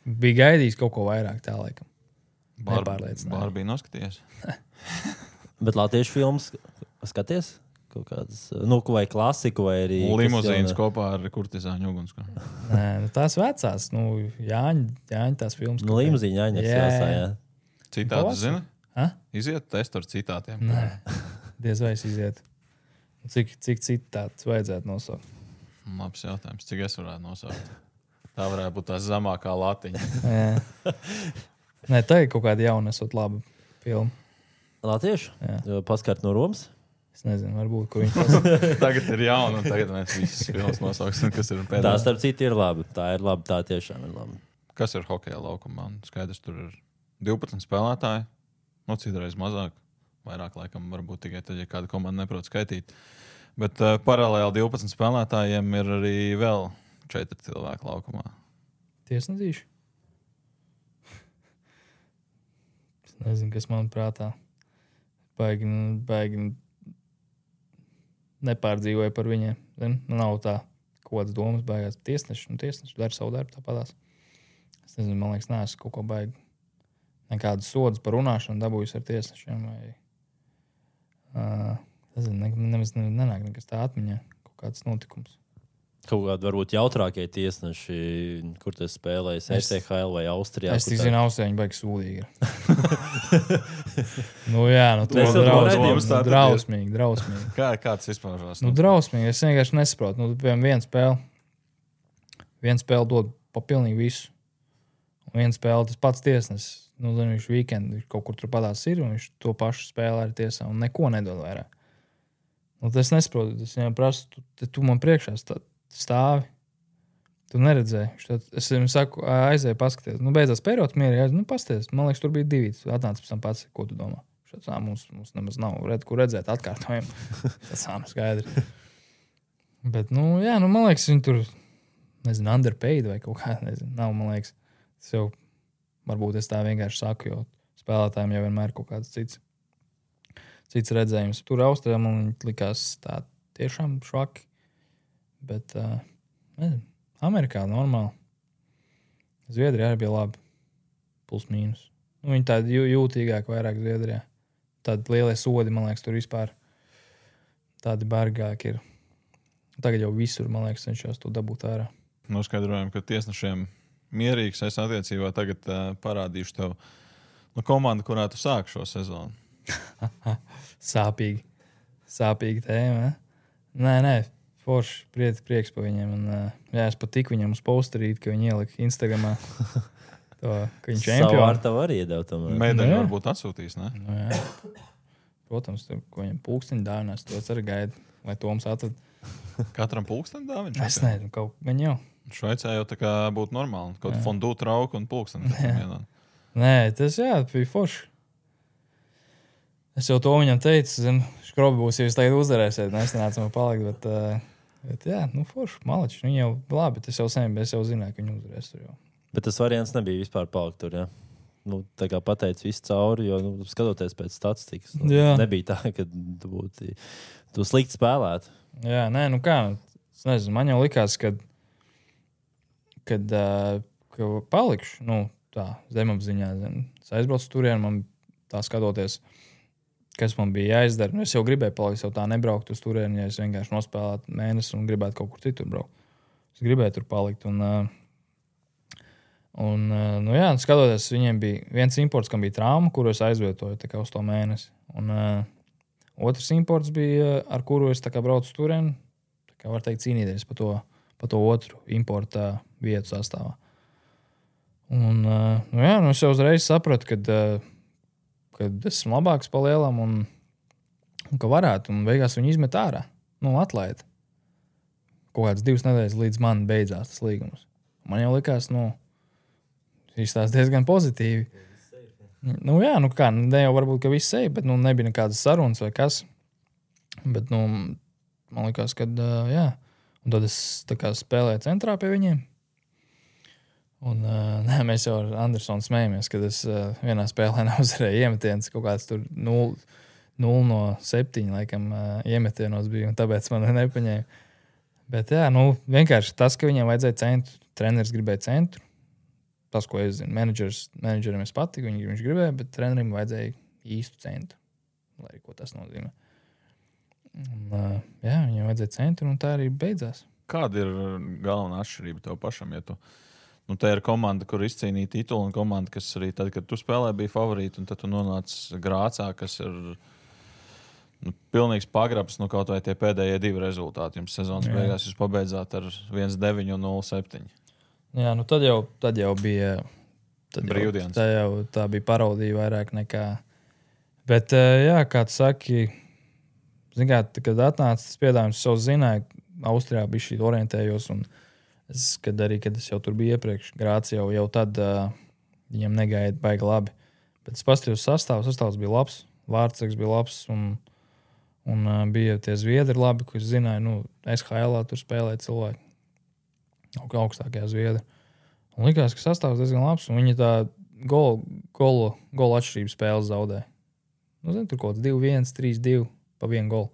bija gaidījis kaut ko vairāk tā, laikam. Nepārliecināja. Bārbī noskatījies. Bet latviešu filmas skaties? Kaut kādas, nu, vai klasiku, vai arī. kas Limuzīns jauna- kopā ar kurtizāņu ugunskura. Nē, nu, tās vecās, nu, Jāņa, Jāņa tās filmas. Nu, limuzīņa jāņem Jā, jāsā, jā. jā. Citādi, Pavasarī? zini? Ha? Iziet testu ar citātiem. Nē, diez vai es izietu. Cik, cik citāts vajadzētu nosaukt? Labs jautājums. Cik es varētu nosaukt? Tā varētu būt tā zemākā latiņa. Jā. Nē, tā ir kaut kāda jauna, esot laba filma. Latviešu? Jā. Paskart no Romas? Es nezinu, varbūt, ko viņi tas... Tagad ir jauna, un tagad mēs visas filmas nosauksim, kas ir pēdējā. Tā, starp citu, ir labi. Tā ir labi, tā tiešām ir labi. Kas ir hokeja laukumā? Skaidrs, tur ir divpadsmit spēlētāji, no citreiz mazāk. Vairāk laikam varbūt tikai tad, ja kāda komanda neprot skaitīt. Bet uh, paralēli divpadsmit spēlētājiem ir arī vēl četri cilvēki laukumā. Tiesnedīši? Es nezinu, kas man prātā. Baigi, baigi nepārdzīvoja par viņiem. Zin? Nav tā, ko kāds domas baigās. Tiesneši, nu tiesneši dara savu darbu tāpatās. Es nezinu, man liekas, neesmu kaut ko baigi. Nekādas sodas par runāšanu dabūjus ar tiesnešiem. Vai, uh, nezinu, ne, nemaz nenāk nekas tā atmiņā. Kaut kāds notikums. Kaut kādi varbūt jautrākie tiesneši, kur tas spēlējas E C H L vai Austrijā. Es tik zinu, Austrijā viņi baigi sūdīgi ir. nu jā, nu to Mēs jau drausmīgi, redzījām, nu, drausmīgi, drausmīgi. Kā, kāds izpaužās? Nu, drausmīgi, es vienkārši nesaprotu. Nu, piemēram, viena spēle, viena spēle dod pa pilnīgi visu. Un viena spēle tas pats tiesnesis. Nu, zinu, viņš weekend, viņš kaut kur tur padās ir, un viņš to pašu spēlē ar tiesā, un neko nedod vairāk. Nu, tas nesaprotu, es viņam prasu, tu, tu man priekšā stāvi. Tu neredzēji. Tad, es viņam saku, aizēju paskaties. Nu, beidzās periods mierīgi, nu, pasties. Man liekas, tur bija divi. Atnāc pēc tam pats, ko tu domā. Šāds, ā, mums, mums nemaz nav redz, kur redzēt atkārtojumu. Tas ā, nu, skaidri. Bet, nu, jā, nu, man liekas, viņi tur, nezinu, underpaid vai kaut kā, nezinu, nav, man liekas. Tas jau, varbūt es tā vienkārši saku, jo spēlētājiem jau vienmēr ir kaut kāds cits, cits redzējums. Tur Austrijā man likās tā tiešām švaki. Bet, uh, nezinu, Amerikā normāli. Zviedrijā arī bija labi. Plus mīnus. Nu, viņi tādi jūtīgāk vairāk Zviedrijā. Tādi lielie sodi, man liekas, tur vispār tādi bargāki ir. Tagad jau visur, man liekas, cenšas to dabūt ārā. Noskaidrojam, ka tiesnešiem mierīgs es attiecībā tagad uh, parādīšu tev nu, komandu, kurā tu sāk šo sezonu. Sāpīgi. Sāpīgi tēma, ne? Nē, nē. Forši, prieks, prieks pa viņiem. Un, uh, jā, es pat tiku viņam uz posterīt, ka viņi ielika Instagramā to, ka viņš čempioni. Savu ar tavu arī iedēv tomēr. Medaļu Nu, jā. varbūt atsūtīs, ne? Nu, jā. Protams, tur, ko viņam pulksteņi dāvinās, to es arī gaidu, lai Toms atrad. Katram pulksteni dāviņš? Es nezinu, kaut gan jau. Šveicē jau tā kā būtu normāli. Kaut fondu trauku un pulksteni. Nē, tas jā, bija forši. Es jau to viņam teicu, zinu, škrobi būs, ja jūs tagad uzdarēsiet, nesanāca man palikt, bet, uh, bet jā, nu forši, maleči, viņi jau labi, tas jau sen, es jau zināju, ka viņi uzdarēs tur jau. Bet tas variants nebija vispār palikt tur, jā. Nu, tā kā pateic visu cauri, jo, nu, skatoties pēc statistikas, nu, Jā. nebija tā, ka tu būtu tu slikti spēlēt. Jā, nē, nu kā, es nezinu, man jau likās, kad, kad uh, ka palikšu, nu, tā, zemapziņā, zin, es aizbraucu turien, man tā skatoties, kas man bija jāizdara. Nu, es jau gribēju palikt, jau tā nebraukt uz turieni, ja es vienkārši nospēlētu mēnesi un gribētu kaut kur citur braukt. Es gribēju tur palikt. Un, un nu jā, skatoties, viņiem bija viens imports, kam bija trauma, kuru es aizvietoju tā kā uz to mēnesi. Un uh, otrs imports bija, ar kuru es tā kā braucu uz turieni, tā kā var teikt cīnīties pa to, pa to otru importa vietu sastāvā. Un uh, nu jā, nu es jau uzreiz sapratu, kad uh, kad esmu labāks pa lielam un, un ka varētu, un beigās viņi izmet ārā. Nu, atlaid. Kaut kāds divas nedēļas līdz man beidzās tas līgums. Man jau likās, nu, izstās diezgan pozitīvi. Nu, jā, nu kā, ne jau varbūt, ka viss seja, bet, nu, nebija nekādas sarunas vai kas. Bet, nu, man likās, kad, jā. Un tad es tā kā spēlēju centrā pie viņiem. Un, uh, nē, mēs jau ar Andersonu smējamies, kad es uh, vienā spēlē neuzvarēju iemetienus, kaut kāds tur nulle no septiņi, laikam, uh, iemetienos bija, un tāpēc man nepaņēma. Bet, jā, nu, vienkārši tas, ka viņiem vajadzēja centru, treneris gribēja centru, tas, ko es zinu, menedžers, menedžerim es patiku, viņi, viņš gribēja, bet trenerim vajadzēja īstu centru, lai arī ko tas nozīmē. Un, uh, jā, viņiem vajadzēja centru, un tā arī beidzās. Kāda ir galvenā atšķirība tev pašam, ja tu Nu, tā ir komanda, kur izcīnīja titulu, un komanda, kas arī tad, kad tu spēlē, bija favorīta, un tad tu nonāc Grācā, kas ir nu, pilnīgs pagrabs, nu kaut vai tie pēdējie divi rezultāti. Jums sezonas beigās jūs pabeidzāt ar viens deviņi un nulle septiņi. Jā, nu tad jau, tad jau bija tad brīvdienas. Jau, tā, jau, tā bija parodija vairāk nekā. Bet, jā, kā tu saki, zin kā, kad atnāca tas piedāvājums, es jau zināju, Austrijā bija šī orientējos, un es, kad arī, kad es jau tur biju iepriekš, Grāci jau, jau tad uh, viņam negaida baigi labi. Bet es paskatījos sastāvu, sastāvs bija labs, vārdsargs bija labs, un, un uh, bija tie zviedri labi, ko es zināju, nu, S H L-ā tur spēlēja cilvēki. Augstākajā zviedri. Un likās, ka sastāvs diezgan labs, un viņi tā golu, golu, golu atšķirību spēles zaudēja. Nu, zin, tur kaut kāds divi viens, trīs divi pa vienu golu.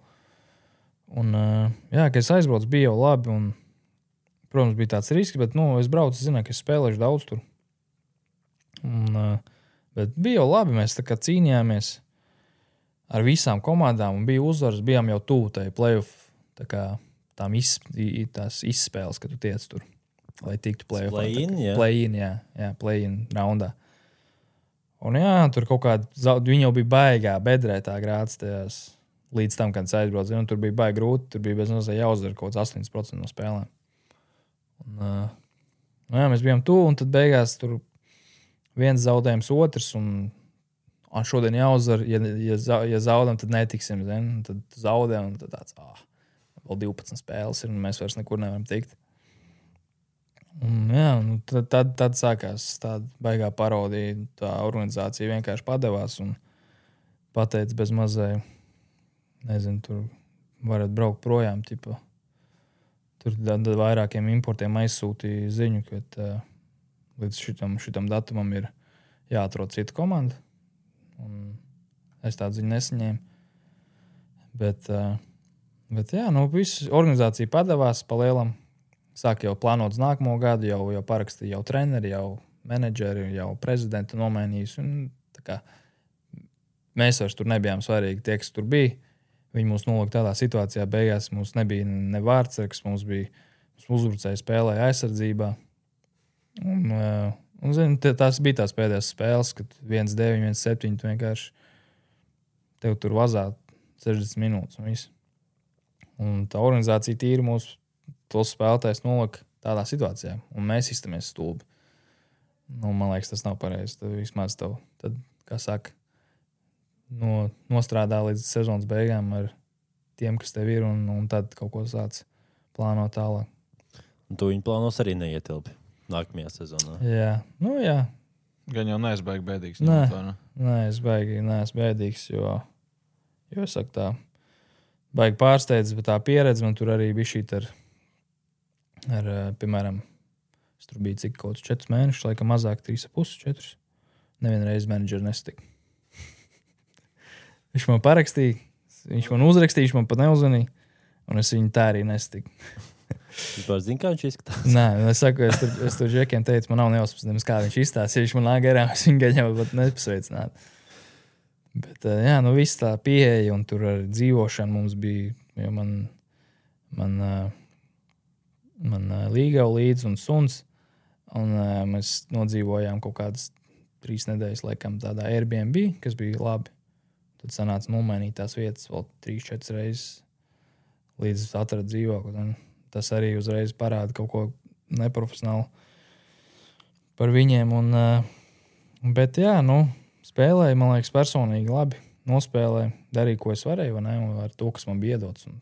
Un, uh, jā, kad es aizbraucu, bija jau labi, un, protams, bija tāds risks, bet, nu, es braucu, zināju, ka es spēlēšu daudz tur. Un, uh, bet bija jau labi, mēs tā kā cīnījāmies ar visām komandām, un bija uzvaras, bijām jau tuvu tai playoff, tā kā tām iz, tās izspēles, kad tu tiec tur, lai tiktu playoff. Play-in, jā. Play-in, jā, jā, play-in raundā. Un jā, tur kaut kāda, viņi jau bija baigā, bedrē tā Grāts tajās, līdz tam, kad es aizbraucu, un tur bija baigi grūti, tur bija bez nosai jāuzdara kaut kāds astoņdesmit procenti no spēlēm. Un, uh, nu jā, mēs bijām tuvu, un tad beigās tur viens zaudējums otrs, un, un šodien jāuzdara, ja, ja, ja zaudam, tad netiksim, zin? Tad zaudē, un tad tāds, ah, vēl divpadsmit spēles ir, un mēs vairs nekur nevaram tikt. Un, jā, nu, tad, tad, tad sākās tāda baigā parodija, tā organizācija vienkārši padevās un pateica bez mazai, nezinu, tur varat braukt projām, tipa. Tur tad vairākiem importiem aizsūtīja ziņu, ka uh, līdz šitam, šitam datumam ir jāatrod cita komanda. Un es tādu ziņu nesaņēmu. Bet, uh, bet jā, nu, visu organizācija padevās pa lielam. Sāk jau plānot uz nākamo gadu, jau, jau parakstīja jau treneri, jau menedžeri, jau prezidentu nomainījis. Un, tā kā, mēs vairs tur nebijām svarīgi, tie, kas tur bija. Viņi mūs nolika tādā situācijā, beigās mums nebija ne vārdsargs, mums bija uzbrucēji spēlēja aizsardzībā. Un, un zin, tās bija tās pēdējās spēles, kad viens deviņi, viens septiņi, tu vienkārši tev tur vazā sešdesmit minūtes un viss. Un tā organizācija tīri mūs tos spēlētājs nolika tādā situācijā, un mēs iztamies stulbi. Nu, man liekas, tas nav pareizi. Tad vismaz tev, tad, kā saka, no, nostrādā līdz sezonas beigām ar tiem, kas tev ir, un, un tad kaut ko sāc plānot tālāk. Un tu viņu plānos arī neietilpi nākamajā sezonā. Jā, nu jā. Gan jau neesi baigi bēdīgs. Nē, To, ne? nē, es baigi neesmu bēdīgs, jo, jo es saku tā, baigi pārsteidz, bet tā pieredze man tur arī bija šī ar, ar, piemēram, es tur biju cik kaut četrus mēnešus, laikam mazāk trīs ap pusi, četrus. Nevienreiz menedžeri nestika. Viņš man parakstīja, viņš man uzrakstīja, viņš man pat neuzvanīja, un es viņu tā arī nestiku. Vispār zini, kā viņš izskatās? Nē, es saku, es tur, es tur džekiem teicu, man nav neuzpasnēms, kā viņš izstāsta. Ja viņš man nāk garām, es viņu gaņā pat nepasveicināt. Bet, jā, nu viss tā pieeja, un tur ar dzīvošanu mums bija, jo man, man, man līgau līdz un suns, un mēs nodzīvojām kaut kādas trīs nedēļas, laikam, tādā Airbnb, kas bija labi. Tad sanāca nomainīt tās vietas vēl trīs, četras reizes līdz atradu dzīvokli. Tas arī uzreiz parāda kaut ko neprofesionālu par viņiem. Un, bet jā, nu, spēlēju, man liekas, personīgi labi. Nospēlēju, darīju, ko es varēju, vai ne? Un ar to, kas man bija iedots. Un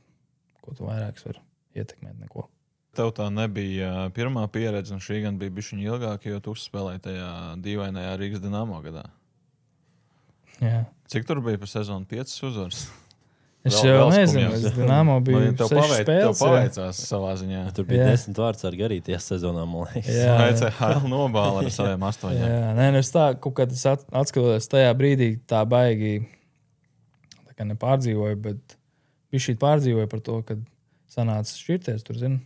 ko tu vairāks var ietekmēt, neko. Tev tā nebija pirmā pieredze, un šī gan bija bišķiņa ilgāka, jo tu uzspēlēji tajā dīvainajā Rīgas Dinamo gadā. Jā. Cik tur bija pa sezonu piecas uzvaras? Es Vēl- jau vēl nezinu, skumjās. es Dinamo biju Nu, tev sešas paveic, tev spēles. jā. paveicās savā ziņā. Tur bija Jā. desmit vārds ar garītajā sezonā, man liekas. Jā. E C H L nobāla ar saviem astoņiem. Jā, nē, nu es tā, kaut kā tas at- atskatoties tajā brīdī, tā baigi tā kā nepārdzīvoju, bet bija šī pārdzīvoja par to, kad sanāca šķirties, tur, zini.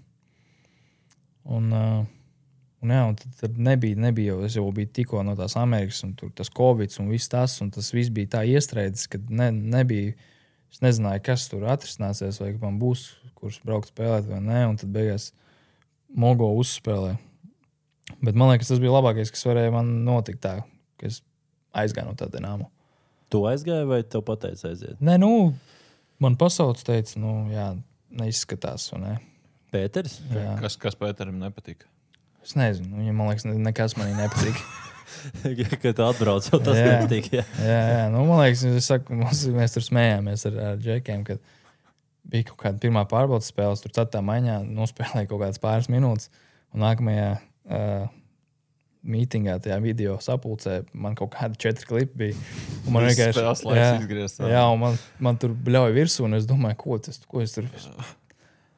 Un, uh, un jā, un tad, tad nebija, nebija jau, es jau biju tikko no tās Amerikas, un tur tas Covid un viss tas, un tas viss bija tā iestrēdzis, kad ne, nebija, es nezināju, kas tur atrisināsies, vai man būs, kurš braukt spēlēt vai nē, un tad beigās Mogo uzspēlē. Bet man liekas, tas bija labākais, kas varēja man notikt tā, ka es aizgāju no tā Dinamo. Tu aizgāji vai tev pateica aiziet? Nē, nu, man pasauc teica, nu, jā, neizskatās, vai ne? Pēters? Jā. Kas, kas Pēterim nepatika? Es nezinu, viņam, man liekas, ne- nekas manī nepatīk. Kad tu atbrauc, jau tas Jā. nepatīk. Jā. jā, jā, nu, man liekas, es saku, mums, mēs tur smējāmies ar, ar džekiem, kad bija kaut kāda pirmā pārbaudas spēles, tur ceturtā maiņā nospēlēja kaut kādas pāris minūtes, un nākamajā uh, mītingā, tajā video sapulcē, man kaut kādi četri klipi bija. Un man vienkārši... Spēles laiks izgriezt. Jā, un man, man tur bļauja virsū, un es domāju, ko, tas, ko es tur...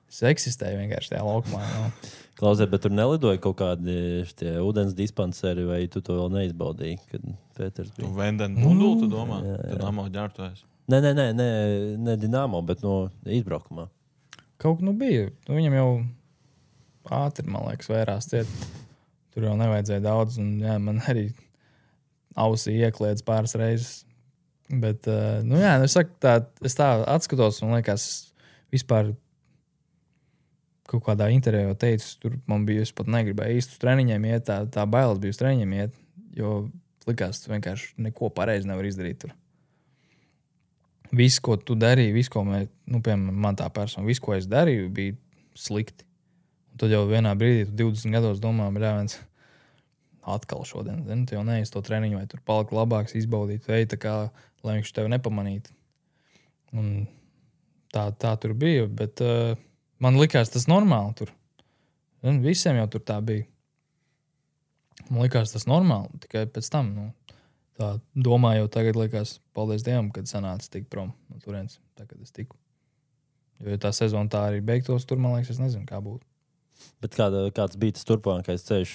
Es eksistēju vienkārši tajā laukumā. No. Klausē, bet tur nelidoja kaut kādi tie ūdens dispanseri, vai tu to vēl neizbaudīji, kad Pēters bija? Tu Venden Dundulu, tu domā? Tad Amo ģērbtojas. Nē, nē, nē, nē, ne Dinamo, bet no izbraukumā. Kaut nu bija. Nu, viņam jau ātri, man liekas, vērās ciet. Tur jau nevajadzēja daudz, un jā, man arī ausī iekliedz pāris reizes. Bet, uh, nu jā, es saku tā, es tā atskatos, un liekas, vispār kaut kādā intervijā teicu, tur man bija, es pat negribēju īsti uz treniņiem iet, tā, tā bailes bija uz treniņiem iet, jo likās, tu vienkārši neko pareizi nevar izdarīt tur. Viss, ko tu darīji, viss, ko mē, nu, piemēram, man tā persona, viss, ko es darīju, bija slikti. Un tad jau vienā brīdī, tu divdesmit gados domā, jā, viens atkal šodien, zini, tu jau neies to treniņu, vai tur palika labāks, izbaudīt, ej tā kā, lai viņš tevi nepamanītu. Un tā, tā tur bija, bet uh, man likās tas normāli tur. Zini, visiem jau tur tā bija. Man likās tas normāli, tikai pēc tam, nu, tā domāju, jau tagad likās, paldies Dievam, kad sanāca tik prom no turienes, tā, kad es tiku. Jo ja tā sezona tā arī beigtos, tur, man liekas, es nezinu, kā būtu. Bet kāda, kāds bija tas turpmākais ceļš?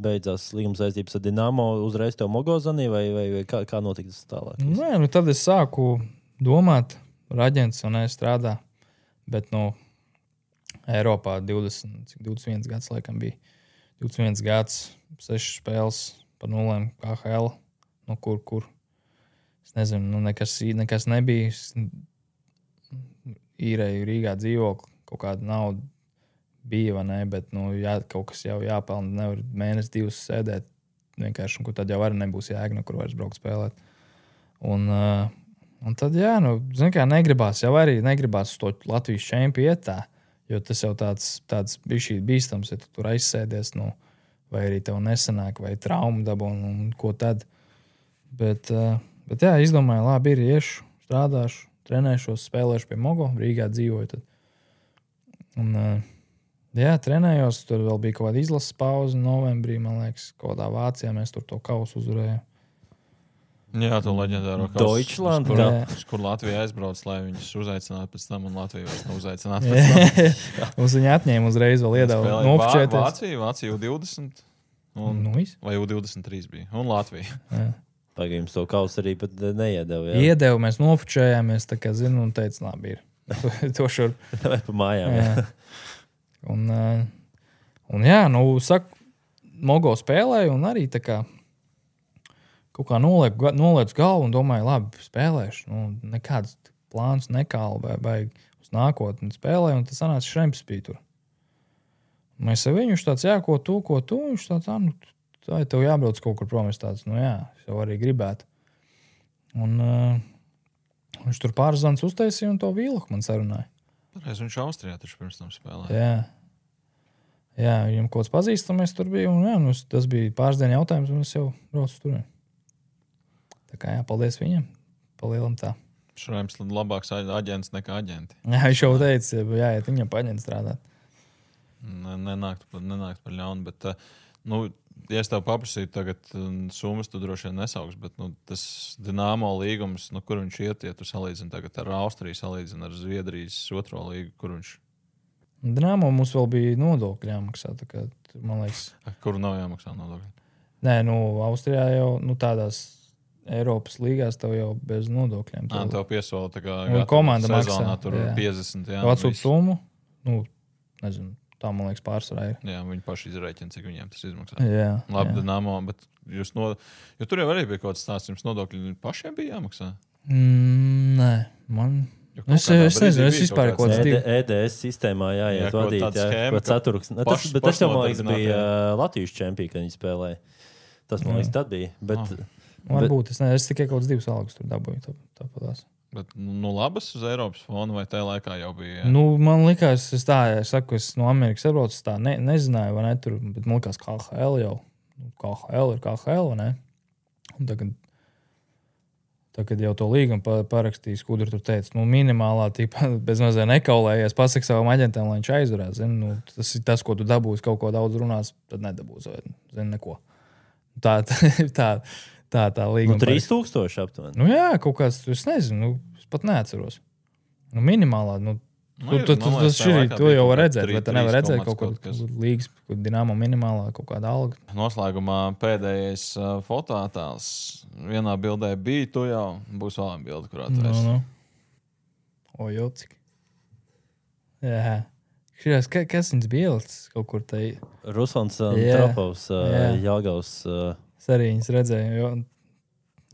Beidzās līguma saistības ar Dinamo, uzreiz tev Mogozanī, vai, vai, vai kā, kā notika tas tālāk? Nē, nu tad es sāku domāt, ar aģents un es strādā, bet, nu, Eiropā divdesmit, divdesmit viens gads laikam bija. divdesmit viens gads, sešas spēles par nulēm K H L. Nu, kur, kur. Es nezinu, nu, nekas, nekas nebija. Īrēju Rīgā dzīvokli, kaut kāda nauda bija, vai ne, bet, nu, jā, kaut kas jau jāpelna. Nevar mēnesi divus sēdēt vienkārši, un kur tad jau arī nebūs jēga, no kur vairs braukt spēlēt. Un, uh, un tad, jā, nu, zin kā, negribās, jau arī negribās uz to Latvijas čempi iet tā. Jo tas jau tāds, tāds bija šī bīstams, ja tu tur aizsēdies, nu, vai arī tev nesanāk, vai traumu dabu, un, un ko tad. Bet, uh, bet jā, izdomāju, labi, ir iešu, strādāšu, trenēšos, spēlēšu pie Mogo, Rīgā dzīvoju. Tad. Un, uh, jā, trenējos, tur vēl bija kaut kāda izlases pauze novembrī, man liekas, kaut kādā Vācijā mēs tur to kausu uzvarējām. Jā, to leģendāro kausu. Deutschland, kur, jā. kur Latvija aizbrauc, lai viņus uzaicinātu pēc tam, un Latvija vairs nav uzaicināta pēc tam. Mums viņi atņēma uzreiz vēl iedeva nofočēties. Vācija, Vācija U divdesmit. Un, nu, vai U divdesmit trīs bija. Un Latvija. Pagaid, jums to kausu arī pat neiedeva. Jā? Iedeva, mēs nofočējāmies, tā kā zinu, un teica, labi, ir. To šur. Vai pa mājām. Jā. Jā. Un, un jā, nu, saku, Mogo spēlēju, un arī tā kā kaut kā nolieku, nolieku galvu un domāju, labi, spēlēšu. Nu, nekāds plāns nekāli vai, vai uz nākotni spēlēju, un tas sanāca Šremps bija tur. Mēs ar viņu tāds, jā, ko tu, ko tu, viņš tāds, ah, nu, tā ir tev jābrauc kaut kur prom, es tāds, nu jā, es jau arī gribētu. Un uh, viņš tur pāris zvans uztaisīja un to Vīlaku man sarunāja. Pareiz, viņš Austrijā taču pirms tam spēlēja. Jā. Jā, viņam kaut kāds pazīstamies tur bija, un jā, nu, tas bija pāris dienu jautājums, un es jau braucu tur. Tā kā jā, paldies viņam, palielam tā. Šraims labāks aģents nekā aģenti. Jā, viņš jau teica, jāiet viņam paņemt strādāt. Nenākt, nenākt par ļaunu, bet, nu, ja es tev paprasītu tagad summas, tu droši vien nesauks, bet, nu, tas Dinamo līgums, nu, kur viņš iet, ja tu salīdzini tagad ar Austriju, salīdzini ar Zviedrijas otro līgu, kur viņš? Dinamo mums vēl bija nodokļi jāmaksā, tā kā, man liekas. Kuru nav jāmaksā nodokļi? Nē, nu, Austrijā jau, nu, tādās Eiropas līgās tev jau bez nodokļiem. Nā, tev piesola tā kā nu, komanda sezonā maksā, tur jā. piecdesmit, jā. Atsūt summu, nu, nezinu, tā, man liekas, pārsvarā ir. Jā, viņi paši izrēķina, cik viņiem tas izmaksā. Jā. Labi, jā. Dinamo, bet jūs no... Jo tur jau arī bija kaut kāds stāsts, jums nodokļi pašiem bija jāmaksā? Mm, nē, man... Jo Es, es nezinu, es vispār kaut kāds divi. E D S sistēmā jāiet Jā, vadīt, tāds jā, schēma, pat ceturks. Ne, tas, paš- bet tas jau, man liekas, pašnodarbinātie. bija uh, Latvijas čempī, kad viņi spēlēja. Tas, man liekas, tad bija. Bet, Ah. Varbūt, es nezinu, es tikai kaut kāds divus algus tur dabūju, tā, tāpatās. Bet, nu, labas uz Eiropas fona vai tajā laikā jau bija? Jā? Nu, man likās, es tā, es saku, es no Amerikas atbraucu, es tā ne, nezināju, vai ne, tur, bet man likās K H L jau. K H L ir K H L, vai ne? Un tagad Tā, kad jau to līgumu parakstīja, Skudra tur teica, nu, minimālā, tīpa, bez mazliet nekaulējies, pasaka savam aģentam, lai viņš aizvarās. Zin, nu, tas ir tas, ko tu dabūsi, kaut ko daudz runās, tad nedabūsi, vai zin, neko. Tā, tā, tā, tā, tā līguma. Nu, trīs tūkstoši aptuveni. Nu, jā, kaut kāds, es nezinu, nu, es pat neatceros. Nu, minimālā, nu, Nu, tu, tu, tu, tas šī, to jau var redzēt, bet tu nevar redzēt kaut kaut kādu līgas, kaut Dinamo minimālā, kaut kāda alga. Noslēgumā pēdējais uh, fotoattēls. Vienā bildē bija tu jau, būs vēl viena bilde, kurā tu esi. No, no. O, jau cik. Jā. Šajās, ka, kas viņas bildes kaut kur tai? Ruslans uh, Jā. Tropovs, uh, Jā. Jāgaus. Uh, Es arī viņas redzēju, jo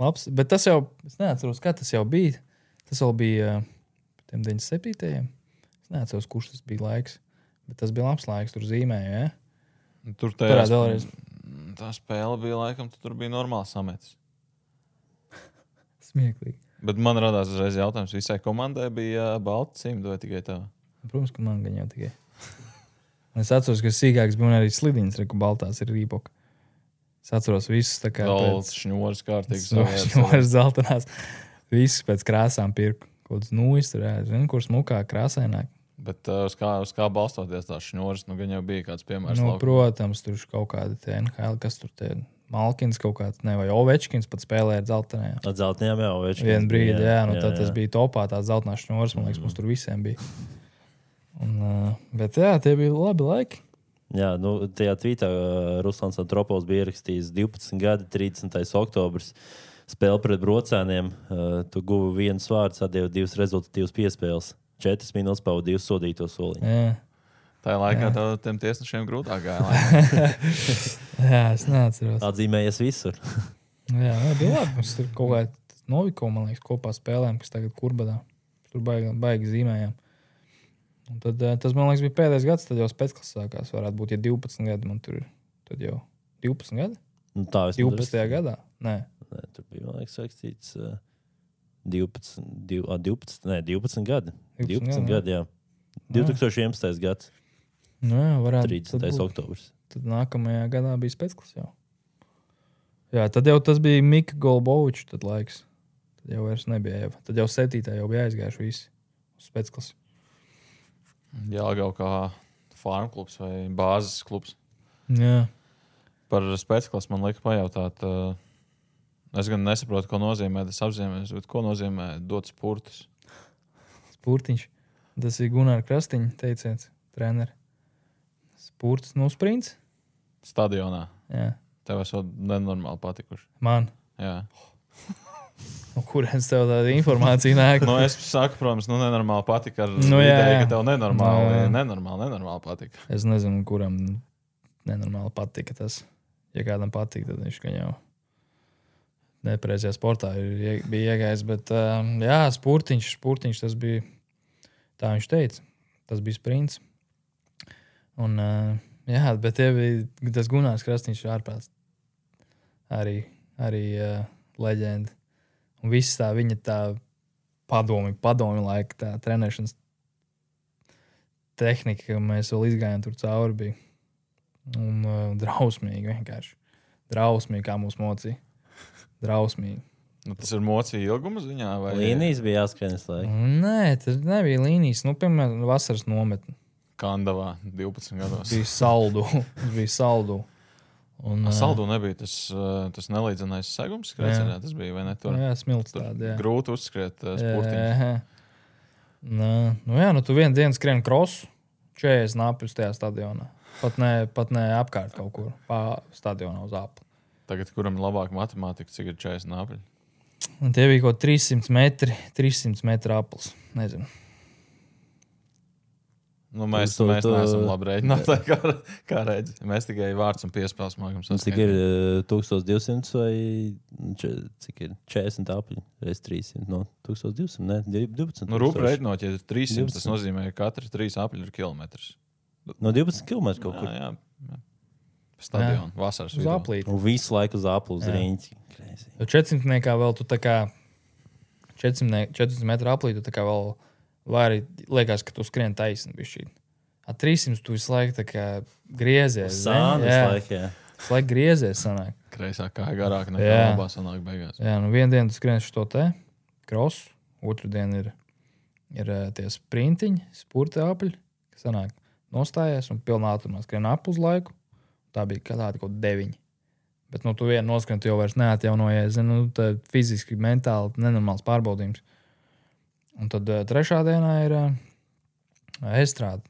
labs, bet tas jau, es neatceros, kā tas jau bija. Tas vēl bija uh, tiem deviņdesmit septītajiem. Es neatceros, kurš tas bija laiks, bet tas bija labs laiks, tur zīmēju, ja? Tur Parād vēlreiz. tā spēle bija laikam, tu tur bija normāls sametis. Smieklīgi. Bet man radās uzreiz jautājums, visai komandai bija uh, balti cimdi vai tikai tev? Protams, ka man gan jau tikai. Es atceros, ka sīkāks bija un arī slidiņas, reku baltās ir rīpoka. Es atceros visus tā kā Zelts, šņūrs, kārtīgs. šņūras zeltenās. Visus pēc krāsām pirku. Kaut kāds nūjas tur, jā, zinu, kur smukā krāsaināk. Bet uh, uz, kā, uz kā balstoties tās šņūras, nu gan jau bija kāds piemērs. Nu, laukumā. protams, tur kaut kādi tie N H L, kas tur tie Malkins kaut kāds, ne, vai Ovečkins pat spēlēja ar zeltenajā. Ar zeltenajām jau Ovečkins. Vienu brīdi, jā, jā, nu jā, tad tas jā. bija topā tās zeltenās šņūras, man liekas, mums tur visiem bija. Un, uh, bet jā, tie bija labi laiki. Jā, nu, tajā tvītā uh, Ruslans Tropovs bija ierakstījis divpadsmit gadi, trīsdesmitais oktobris. Spēle pret brocēniem. Uh, tu guvi vienu vārdu, atdevi divas rezultatīvas piespēles. Četras minūtes pavadīja uz sodīto soliņu. Jā, Tā laikā tev tiem tiesnešiem grūtāk gāja. jā es neatceros. Atzīmējies visur. Jā, jā, bija labi. Mums tur kaut kā Noviko, man liekas, kopā spēlēm, kas tagad Kurbadā. Tur baigi, baigi zīmējām. Un tad, eh, tas, man liekas, bija pēdējais gads, tad jau spēcklas sākās. Varētu būt, ja divpadsmit gadi man tur ir. Tad jau divpadsmit gadi? Nu, tā es divpadsmitajā gadā? Nē. Nē, tur bija, man liekas, rakstīts uh, divpadsmit, div, a, divpadsmit, nē, divpadsmit gadi. divpadsmit gadi, jā. divtūkstoš vienpadsmitais gads, Nu, jā, varētu. tad trīsdesmitais būt. oktobris. Tad nākamajā gadā bija spēcklas jau. Jā, tad jau tas bija Mika Golbovičs tad laiks. Tad jau vairs nebija Eva. Tad jau septītā jau bija aizgājuši visi uz spēcklas. Jāgau kā farm klubs vai bāzes klubs. Jā. Par spēcklasu man lieka pajautāt. Uh, es gan nesaprotu, ko nozīmē tas apzīmējums, bet ko nozīmē dot spurtus. Spurtiņš. Tas ir Gunārs Krastiņš, teiciens, treneris. Spurts, nu, sprints. Stadionā. Jā. Tev esot nenormāli patikuši. Man. Jā. No kurienes tev tāda informācija nāk? Nu, es saku, protams, nu, nenormāli patika ar Nu, jā, ideju, jā. ka tev nenormāli, Nu, jā. nenormāli, nenormāli patika. Es nezinu, kuram nenormāli patika tas. Ja kādam patīk, tad viņš gan jau nepareizajā sportā ir, ie- bija iegājis. Bet, um, jā, spurtiņš, spurtiņš, tas bija, tā viņš teica, tas bija sprints. Un, uh, jā, bet tie bija, tas Gunārs Krastiņš ir ārprāts. Arī, arī uh, leģenda. Un viss tā viņa tā padomi, padomi laika, tā trenēšanas tehnika, ka mēs vēl izgājām tur cauri, bija. Un uh, drausmīgi vienkārši. Drausmīgi, kā mūs mocīja. Drausmīgi. Nu, tas ir mocīja ilguma ziņā? Vai... Līnijas bija jāskrien visu laiku. Nē, tas nebija līnijas. Nu, piemēram, vasaras nometne. Kandavā divpadsmit gados. Bija saldu. Tas bija saldu. Un, A, saldu nebija tas, uh, tas nelīdzenais segums, skrēcienā. Tas bija, vai ne? Tur, jā, smilts tur tāda, jā. grūti uzskriet uh, sportiņus. Jā, Nā, nu jā, nu tu vienu dienu skrien krosu, četrdesmit nāpjus tajā stadionā. Pat ne, pat ne apkārt kaut kur, pa stadionā uz apli. Tagad, kuram ir labāka matemātika, cik ir četrdesmit nāpļi? Un tie bija kaut trīs simti metri, trīs simti metru aplis. Nezinu. Nu, mēs Tu- tu- mēs tu- neesam labi rēķinātāji, kā, kā redzi. Mēs tikai vārds un piespēles mākam Un Cik ir uh, tūkstoš divsimt vai če, cik ir četrdesmit apļi? Reiz trīssimt no tūkstoš divsimt, ne? divpadsmit. Nu, rūp rēķinot, ja ir trīssimt, tas divpadsmit. nozīmē, ka katrs trīs apļi ir kilometrs. No divpadsmit kilometru kaut kur. Jā, jā. jā. Stadionu, vasaras Uz vidū. aplīti. Un visu laiku uz aplu, uz Jā. riņķi. Crazy. Jo četrsimtniekā vēl tu tā kā četrsimt, četrsimt metru aplīti, tu tā kā vēl vari, liekas, ka tu skrien taisni bišķīt. A trīssimt tu visu laiku tā kā griezies. Sāni zini? visu Jā. laiku, jā. Tas laik griezies sanāk. Kreisā kā garāk nekā Jā. labā sanāk beigās. Jā, nu vienu dienu tu skrien šo te krosu, otru dienu ir, ir eh, tie sprintiņi, spurta apļi, kas sanāk nostājies un pilnā ātrumā skrien ap uz laiku. Tā bija kā tāda kaut deviņi. Bet nu tu vienu noskrien, tu jau vairs neatjaunojies. Nu, tā fiziski, mentāli nenormāls pārbaudījums. Un tad uh, trešā dienā ir uh, estrāde,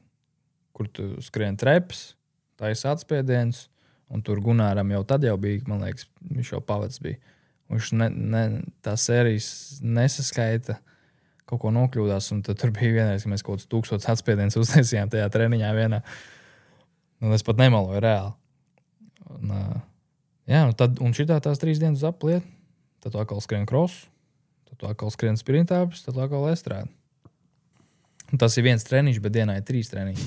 kur tu skrien treps, taisa atspiediens, un tur Gunāram jau tad jau bija, man liekas, viņš jau pavads bija. Viņš ne, ne, tā sērijas nesaskaita, kaut ko nokļūdās, un tad tur bija vienreiz, ka mēs kaut kāds tūkstots atspiediens uztaisījām tajā treniņā vienā. Un es pat nemaloju reāli. Un, uh, jā, un, tad, un šitā tās trīs dienas apliet, tad tu atkal skrien krosu, tad tu atkal skrien sprintāpis, tad tu atkal estrādi. Un tas ir viens treniņš, bet dienā ir trīs treniņi.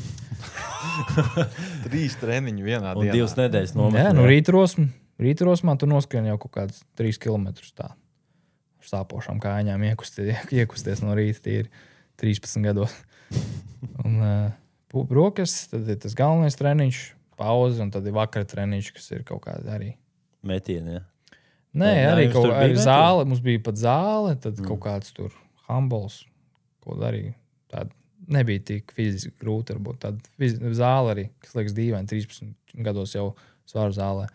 Trīs treniņi vienā Un dienā. divas nedēļas nometnē. Jā, nu rītrosmā, rītrosmā tu noskrien jau kaut kādus trīs kilometrus tā. Ar sāpošām kājām iekusties, iekusties no rīta, tie ir trīspadsmit gados. Un uh, brokas, tad ir tas galvenais treniņš, pauze, un tad ir vakara treniņš, kas ir kaut kāda arī. Metieni, jā. Nē, Jā, arī jums kaut tur bija kāda metieni? zāle, mums bija pat zāle, tad Mm. mm. kaut kāds tur handbols, ko arī tāda nebija tik fiziski grūti, varbūt tāda fiz... zāle arī, kas liekas dīvaini, trīspadsmit gados jau svaru zālē.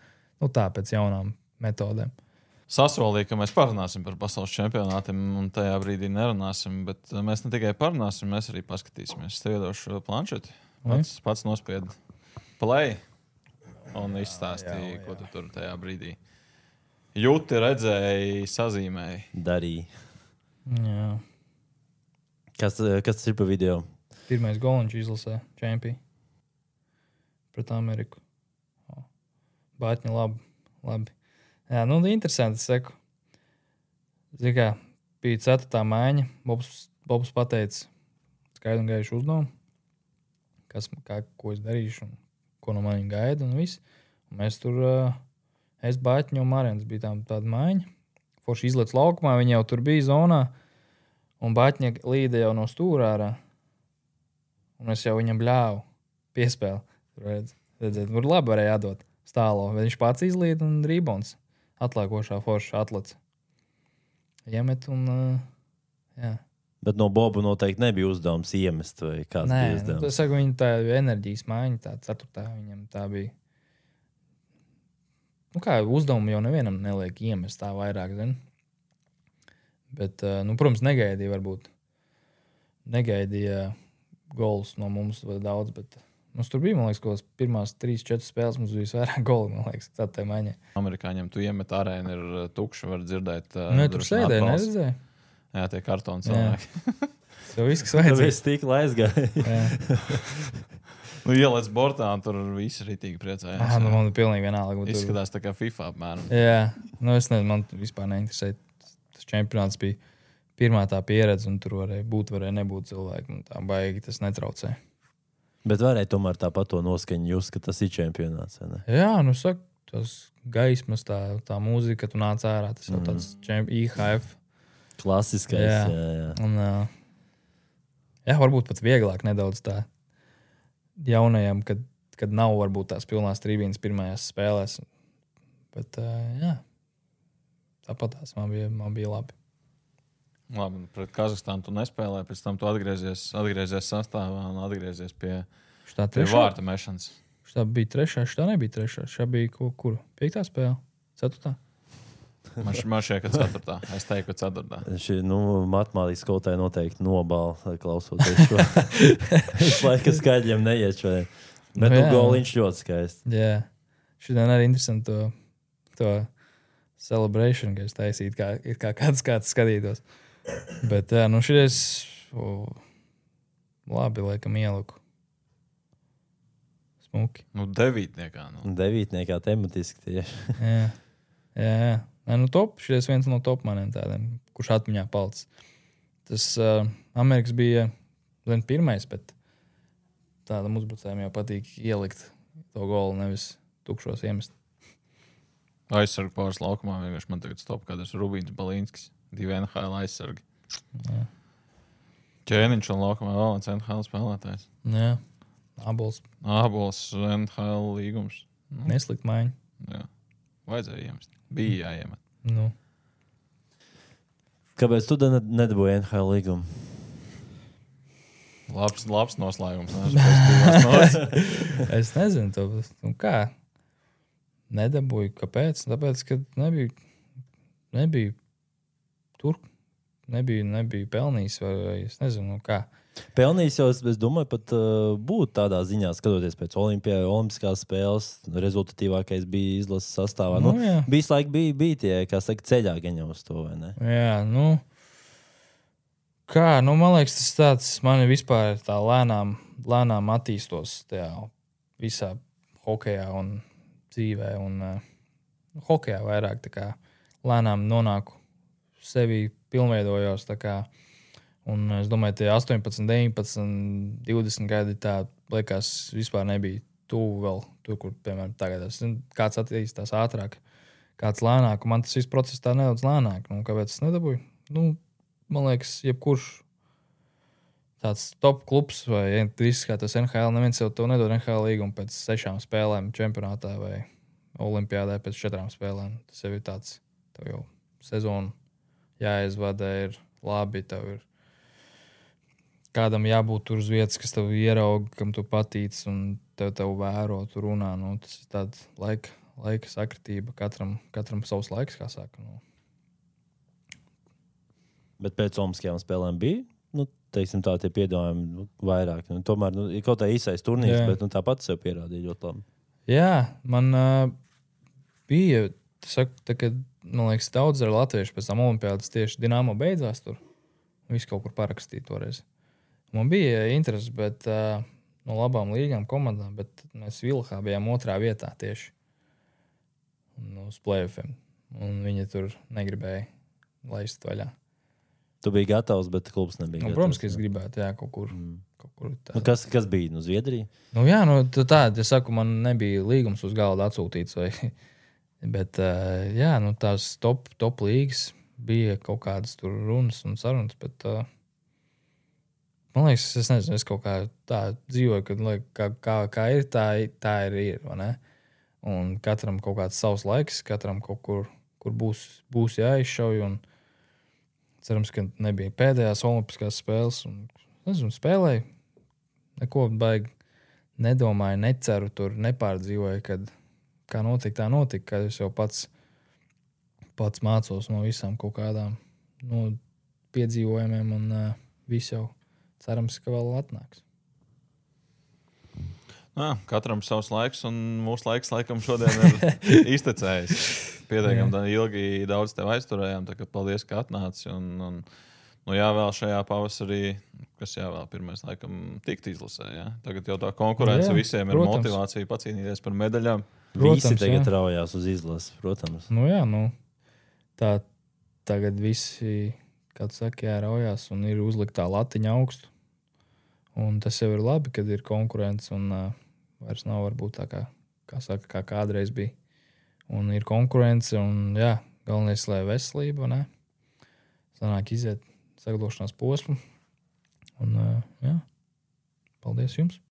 Nu tā, pēc jaunām metodēm. Sasolīja, ka mēs parunāsim par pasaules čempionātiem, un tajā brīdī nerunāsim, bet mēs ne tikai parunāsim, mēs arī paskatīsimies. Es tev iedošu planšeti, pats, pats nospied play un izstāstīja, ko tu tur tajā brīdī jūti, redzēji, sazīmēji. Darīja. Jā. Kas, kas tas ir pa video? Pirmais goliņš izlasē čempī pret Ameriku. O. Bātņi labi, labi. Jā, nu interesanti, es saku. Zini kā, bija ceturtā maiņa, Bobs, Bobs pateica skaidru un gaišu uzdevumu, kas, kā, ko es darīšu un ko no manim gaida un viss. Un mēs tur, uh, es Bātņu un Marens bija tā, tāda maiņa. Forši izlec laukumā, viņi jau tur bija zonā, un Bātņa līda jau no stūrā ārā. Un es jau viņam bļāvu piespēli. Tur redz, redzēt, tur labi varēja atdot stālo. Viņš pats izlīd un rībons atlēkošā forša atlec. Iemet un, uh, jā. Bet no Boba noteikti nebija uzdevums iemest, vai kāds Nē, bija nu, uzdevums? es saku, viņa tā enerģijas maiņa, tā ceturtā viņam tā bija. Nu kā, uzdevumu jau nevienam neliek iemest tā vairāk, zin. Bet, uh, nu, protams, negaidīja varbūt. Negaidīja golus no mums vai daudz, bet mums tur bija, man liekas, kaut kāds pirmās trīs, četras spēles mums bija vairāk goli, man liekas, tā tā maiņa. Amerikāņiem tu iemet arēnu, ir tukša, var dzirdēt. Uh, Nu, tur droši sēdēja, atbalsts. neredzēja? Jā, tie kartoni Jā. cilvēki. Tev viss, kas Tad vajadzīgs. es tik aizgāju. Jā. Nu, ielēc bortā, un tur visi ritīgi priecājās. Ah, nu, man ir pilnīgi vienalga. bet tur- Izskatās tā kā FIFA apmēram. Jā, nu es nezinu, man vispār neinteresē. Tas čempionāts bija pirmā tā pieredze, un tur varēja būt, varēja nebūt cilvēki. Nu, tā baigi tas netraucē. Bet varēja tomēr tāpat to noskaņu just, ka tas ir čempionāts, vai ne? Jā, nu saka, tas gaismas, tā, tā mūzika, ka tu nāc ārā, tas jau Mhm. tāds čemp, I H F. Klasiskais, Jā. jā, jā. Un, uh, jā, varbūt pat vieglāk nedaudz tā jaunajam, kad, kad nav varbūt tās pilnās trībīnas pirmajās spēlēs. Bet, uh, jā, tāpat tās man bija, man bija labi. Labi, pret Kazahstānu tu nespēlēji, pēc tam tu atgriezies, atgriezies sastāvā un atgriezies pie, Šitā pie trešā, vārta mešanas. šitā bija trešā, šitā nebija trešā. Šitā bija ko, kur? Piektā spēle? Ceturtā? Man, š- man šķiet, ka ceturtā. Es teiktu, ka ceturtā. Šī, nu, matemātikas skolotāja noteikti nobāla, klausoties šo. Es laikam skaidriem neiet šodien. Bet Nu, nu, jā. goliņš ļoti skaists. Jā. Šodien arī interesanti to, to celebration, ka es taisītu, kā, it kā kāds kāds skatītos. Bet, jā, nu šies o, labi, laikam ieliku. Smuki. Nu, devītniekā. Nu. Devītniekā tematiski tieši. Jā, jā. jā. Nē, nu top, šies viens no top maniem tādiem, kurš atmiņā palicis. Tas uh, Amerikas bija vien pirmais, bet tādam uzbrucējiem jau patīk ielikt to golu, nevis tukšos iemest. Aizsargu pāris laukumā vienkārši man tagad stop, kādas Rubīns Balīnskis. Divi N H L aizsargi. Jā. Ķēniņš un laukumā vēl viens N H L spēlētājs. Jā, abols Ābols N H L līgums. Nu, neslikt maiņu. Jā. Vajadzēja iemest. Bija jāiemet. Nu. Kāpēc tu ne- nedabūji N H L līgumu? Labs, labs noslēgums. Ne? Es nezinu, to, nu kā. Nedabūju. Kāpēc? Tāpēc, ka nebija, nebija tur. Nebija, nebija pelnījis, vai, vai es nezinu, kā. Pelnījis jau, es, es domāju, pat uh, būt tādā ziņā, skatoties pēc Olimpijā, Olimpiskās spēles, rezultatīvākais bija izlases sastāvā. Nu, Nu, jā. bija laik, bija, bija tie, kā saka, ceļā gaņā uz to, vai ne? Jā, nu. Kā, nu, man liekas, tas tāds, man vispār tā lēnām, lēnām attīstos tajā visā hokejā un dzīvē. Un uh, hokejā vairāk tā kā lēnām nonāku sevi pilnveidojos. Tā kā, un es domāju, tie astoņpadsmit, deviņpadsmit, divdesmit gadi tā liekas vispār nebija tuvu vēl tur, kur, piemēram, tagad. Es zinu, kāds attīstās ātrāk, kāds lēnāk. Man tas viss process tā nedaudz lēnāk. Nu, kāpēc es nedabūju? Nu, man liekas, jebkurš tāds top klubs vai viss kā tas N H L, neviens jau to nedod N H L līgumu pēc sešām spēlēm čempionātā vai olimpiādē pēc četrām spēlēm. Tas jau ir tāds, tev jau sezonu jāizvada, ir labi, tev ir kādam jābūt tur uz vietas, kas tev ieraug, kam tu patīc un tev, tev vēro, tu runā. Nu, tas ir tāda laika, laika sakritība. Katram, katram savs laiks, kā saka. Nu. Bet pēc Olimpiskajām spēlēm bija, nu, teiksim tā, tie piedāvājumi nu, vairāk. Nu, tomēr, nu, ir kaut kā īsais turnīrs, Jā. bet nu, tāpat sev pierādīja ļoti labi. Jā, man uh, bija, saku, tā, kad, man liekas, daudz ar latviešu pēc tam olimpiādas tieši Dinamo beidzās tur. Viss kaut kur parakstīja toreiz. Man bija interesi, bet uh, no labām līgām komandām, bet mēs Vilhā bijām otrā vietā tieši un uz play-offiem. Un viņi tur negribēja laist vaļā. Tu biji gatavs, bet klubs nebija Nu, gatavs. protams, ka es gribētu, jā, kaut kur. Mm. Kaut kur tā. Nu, kas, kas bija? Nu, Zviedrija? Nu, jā, nu, tā, tā, es saku, man nebija līgums uz galda atsūtīts. Vai, bet, uh, jā, nu, tās top, top līgas bija kaut kādas tur runas un sarunas, bet, uh, man liekas, es nezinu, es kaut kā tā dzīvoju, kad, lai, kā, kā, kā ir, tā, tā ir, ir, vai ne? Un katram kaut kāds savs laiks, katram kaut kur, kur būs, būs jāizšauj, un cerams, ka nebija pēdējās olimpiskās spēles, un, nezinu, spēlēju, neko baigi nedomāju, neceru, tur nepārdzīvoju, kad kā notika, tā notika, kad es jau pats, pats mācos no visām kaut kādām no piedzīvojumiem, un uh, viss jau cerams, ka vēl atnāks. Jā, katram savs laiks, un mūsu laiks laikam šodien ir iztecējis. Pietiekami ilgi daudz tev aizturējām, tā kā paldies, ka atnāci. Un, un, nu jā, vēl šajā pavasarī, kas jā, vēl pirmais laikam tikt izlasē. Jā. Tagad jau tā konkurence jā, visiem protams. ir motivācija pacīnīties par medaļām. Protams, Visi tagad jā. raujās uz izlases, protams. Nu jā, nu, tā tagad visi, kā tu saki, jā, raujās un ir uzliktā latiņa augstu. Un tas jau ir labi, kad ir konkurence un uh, vairs nav varbūt tā kā, kā saka, kā kādreiz bija. Un ir konkurence un jā, galvenais, lai veselība, ne? Sanāk iziet sagatavošanās posmu. Un uh, jā, paldies jums!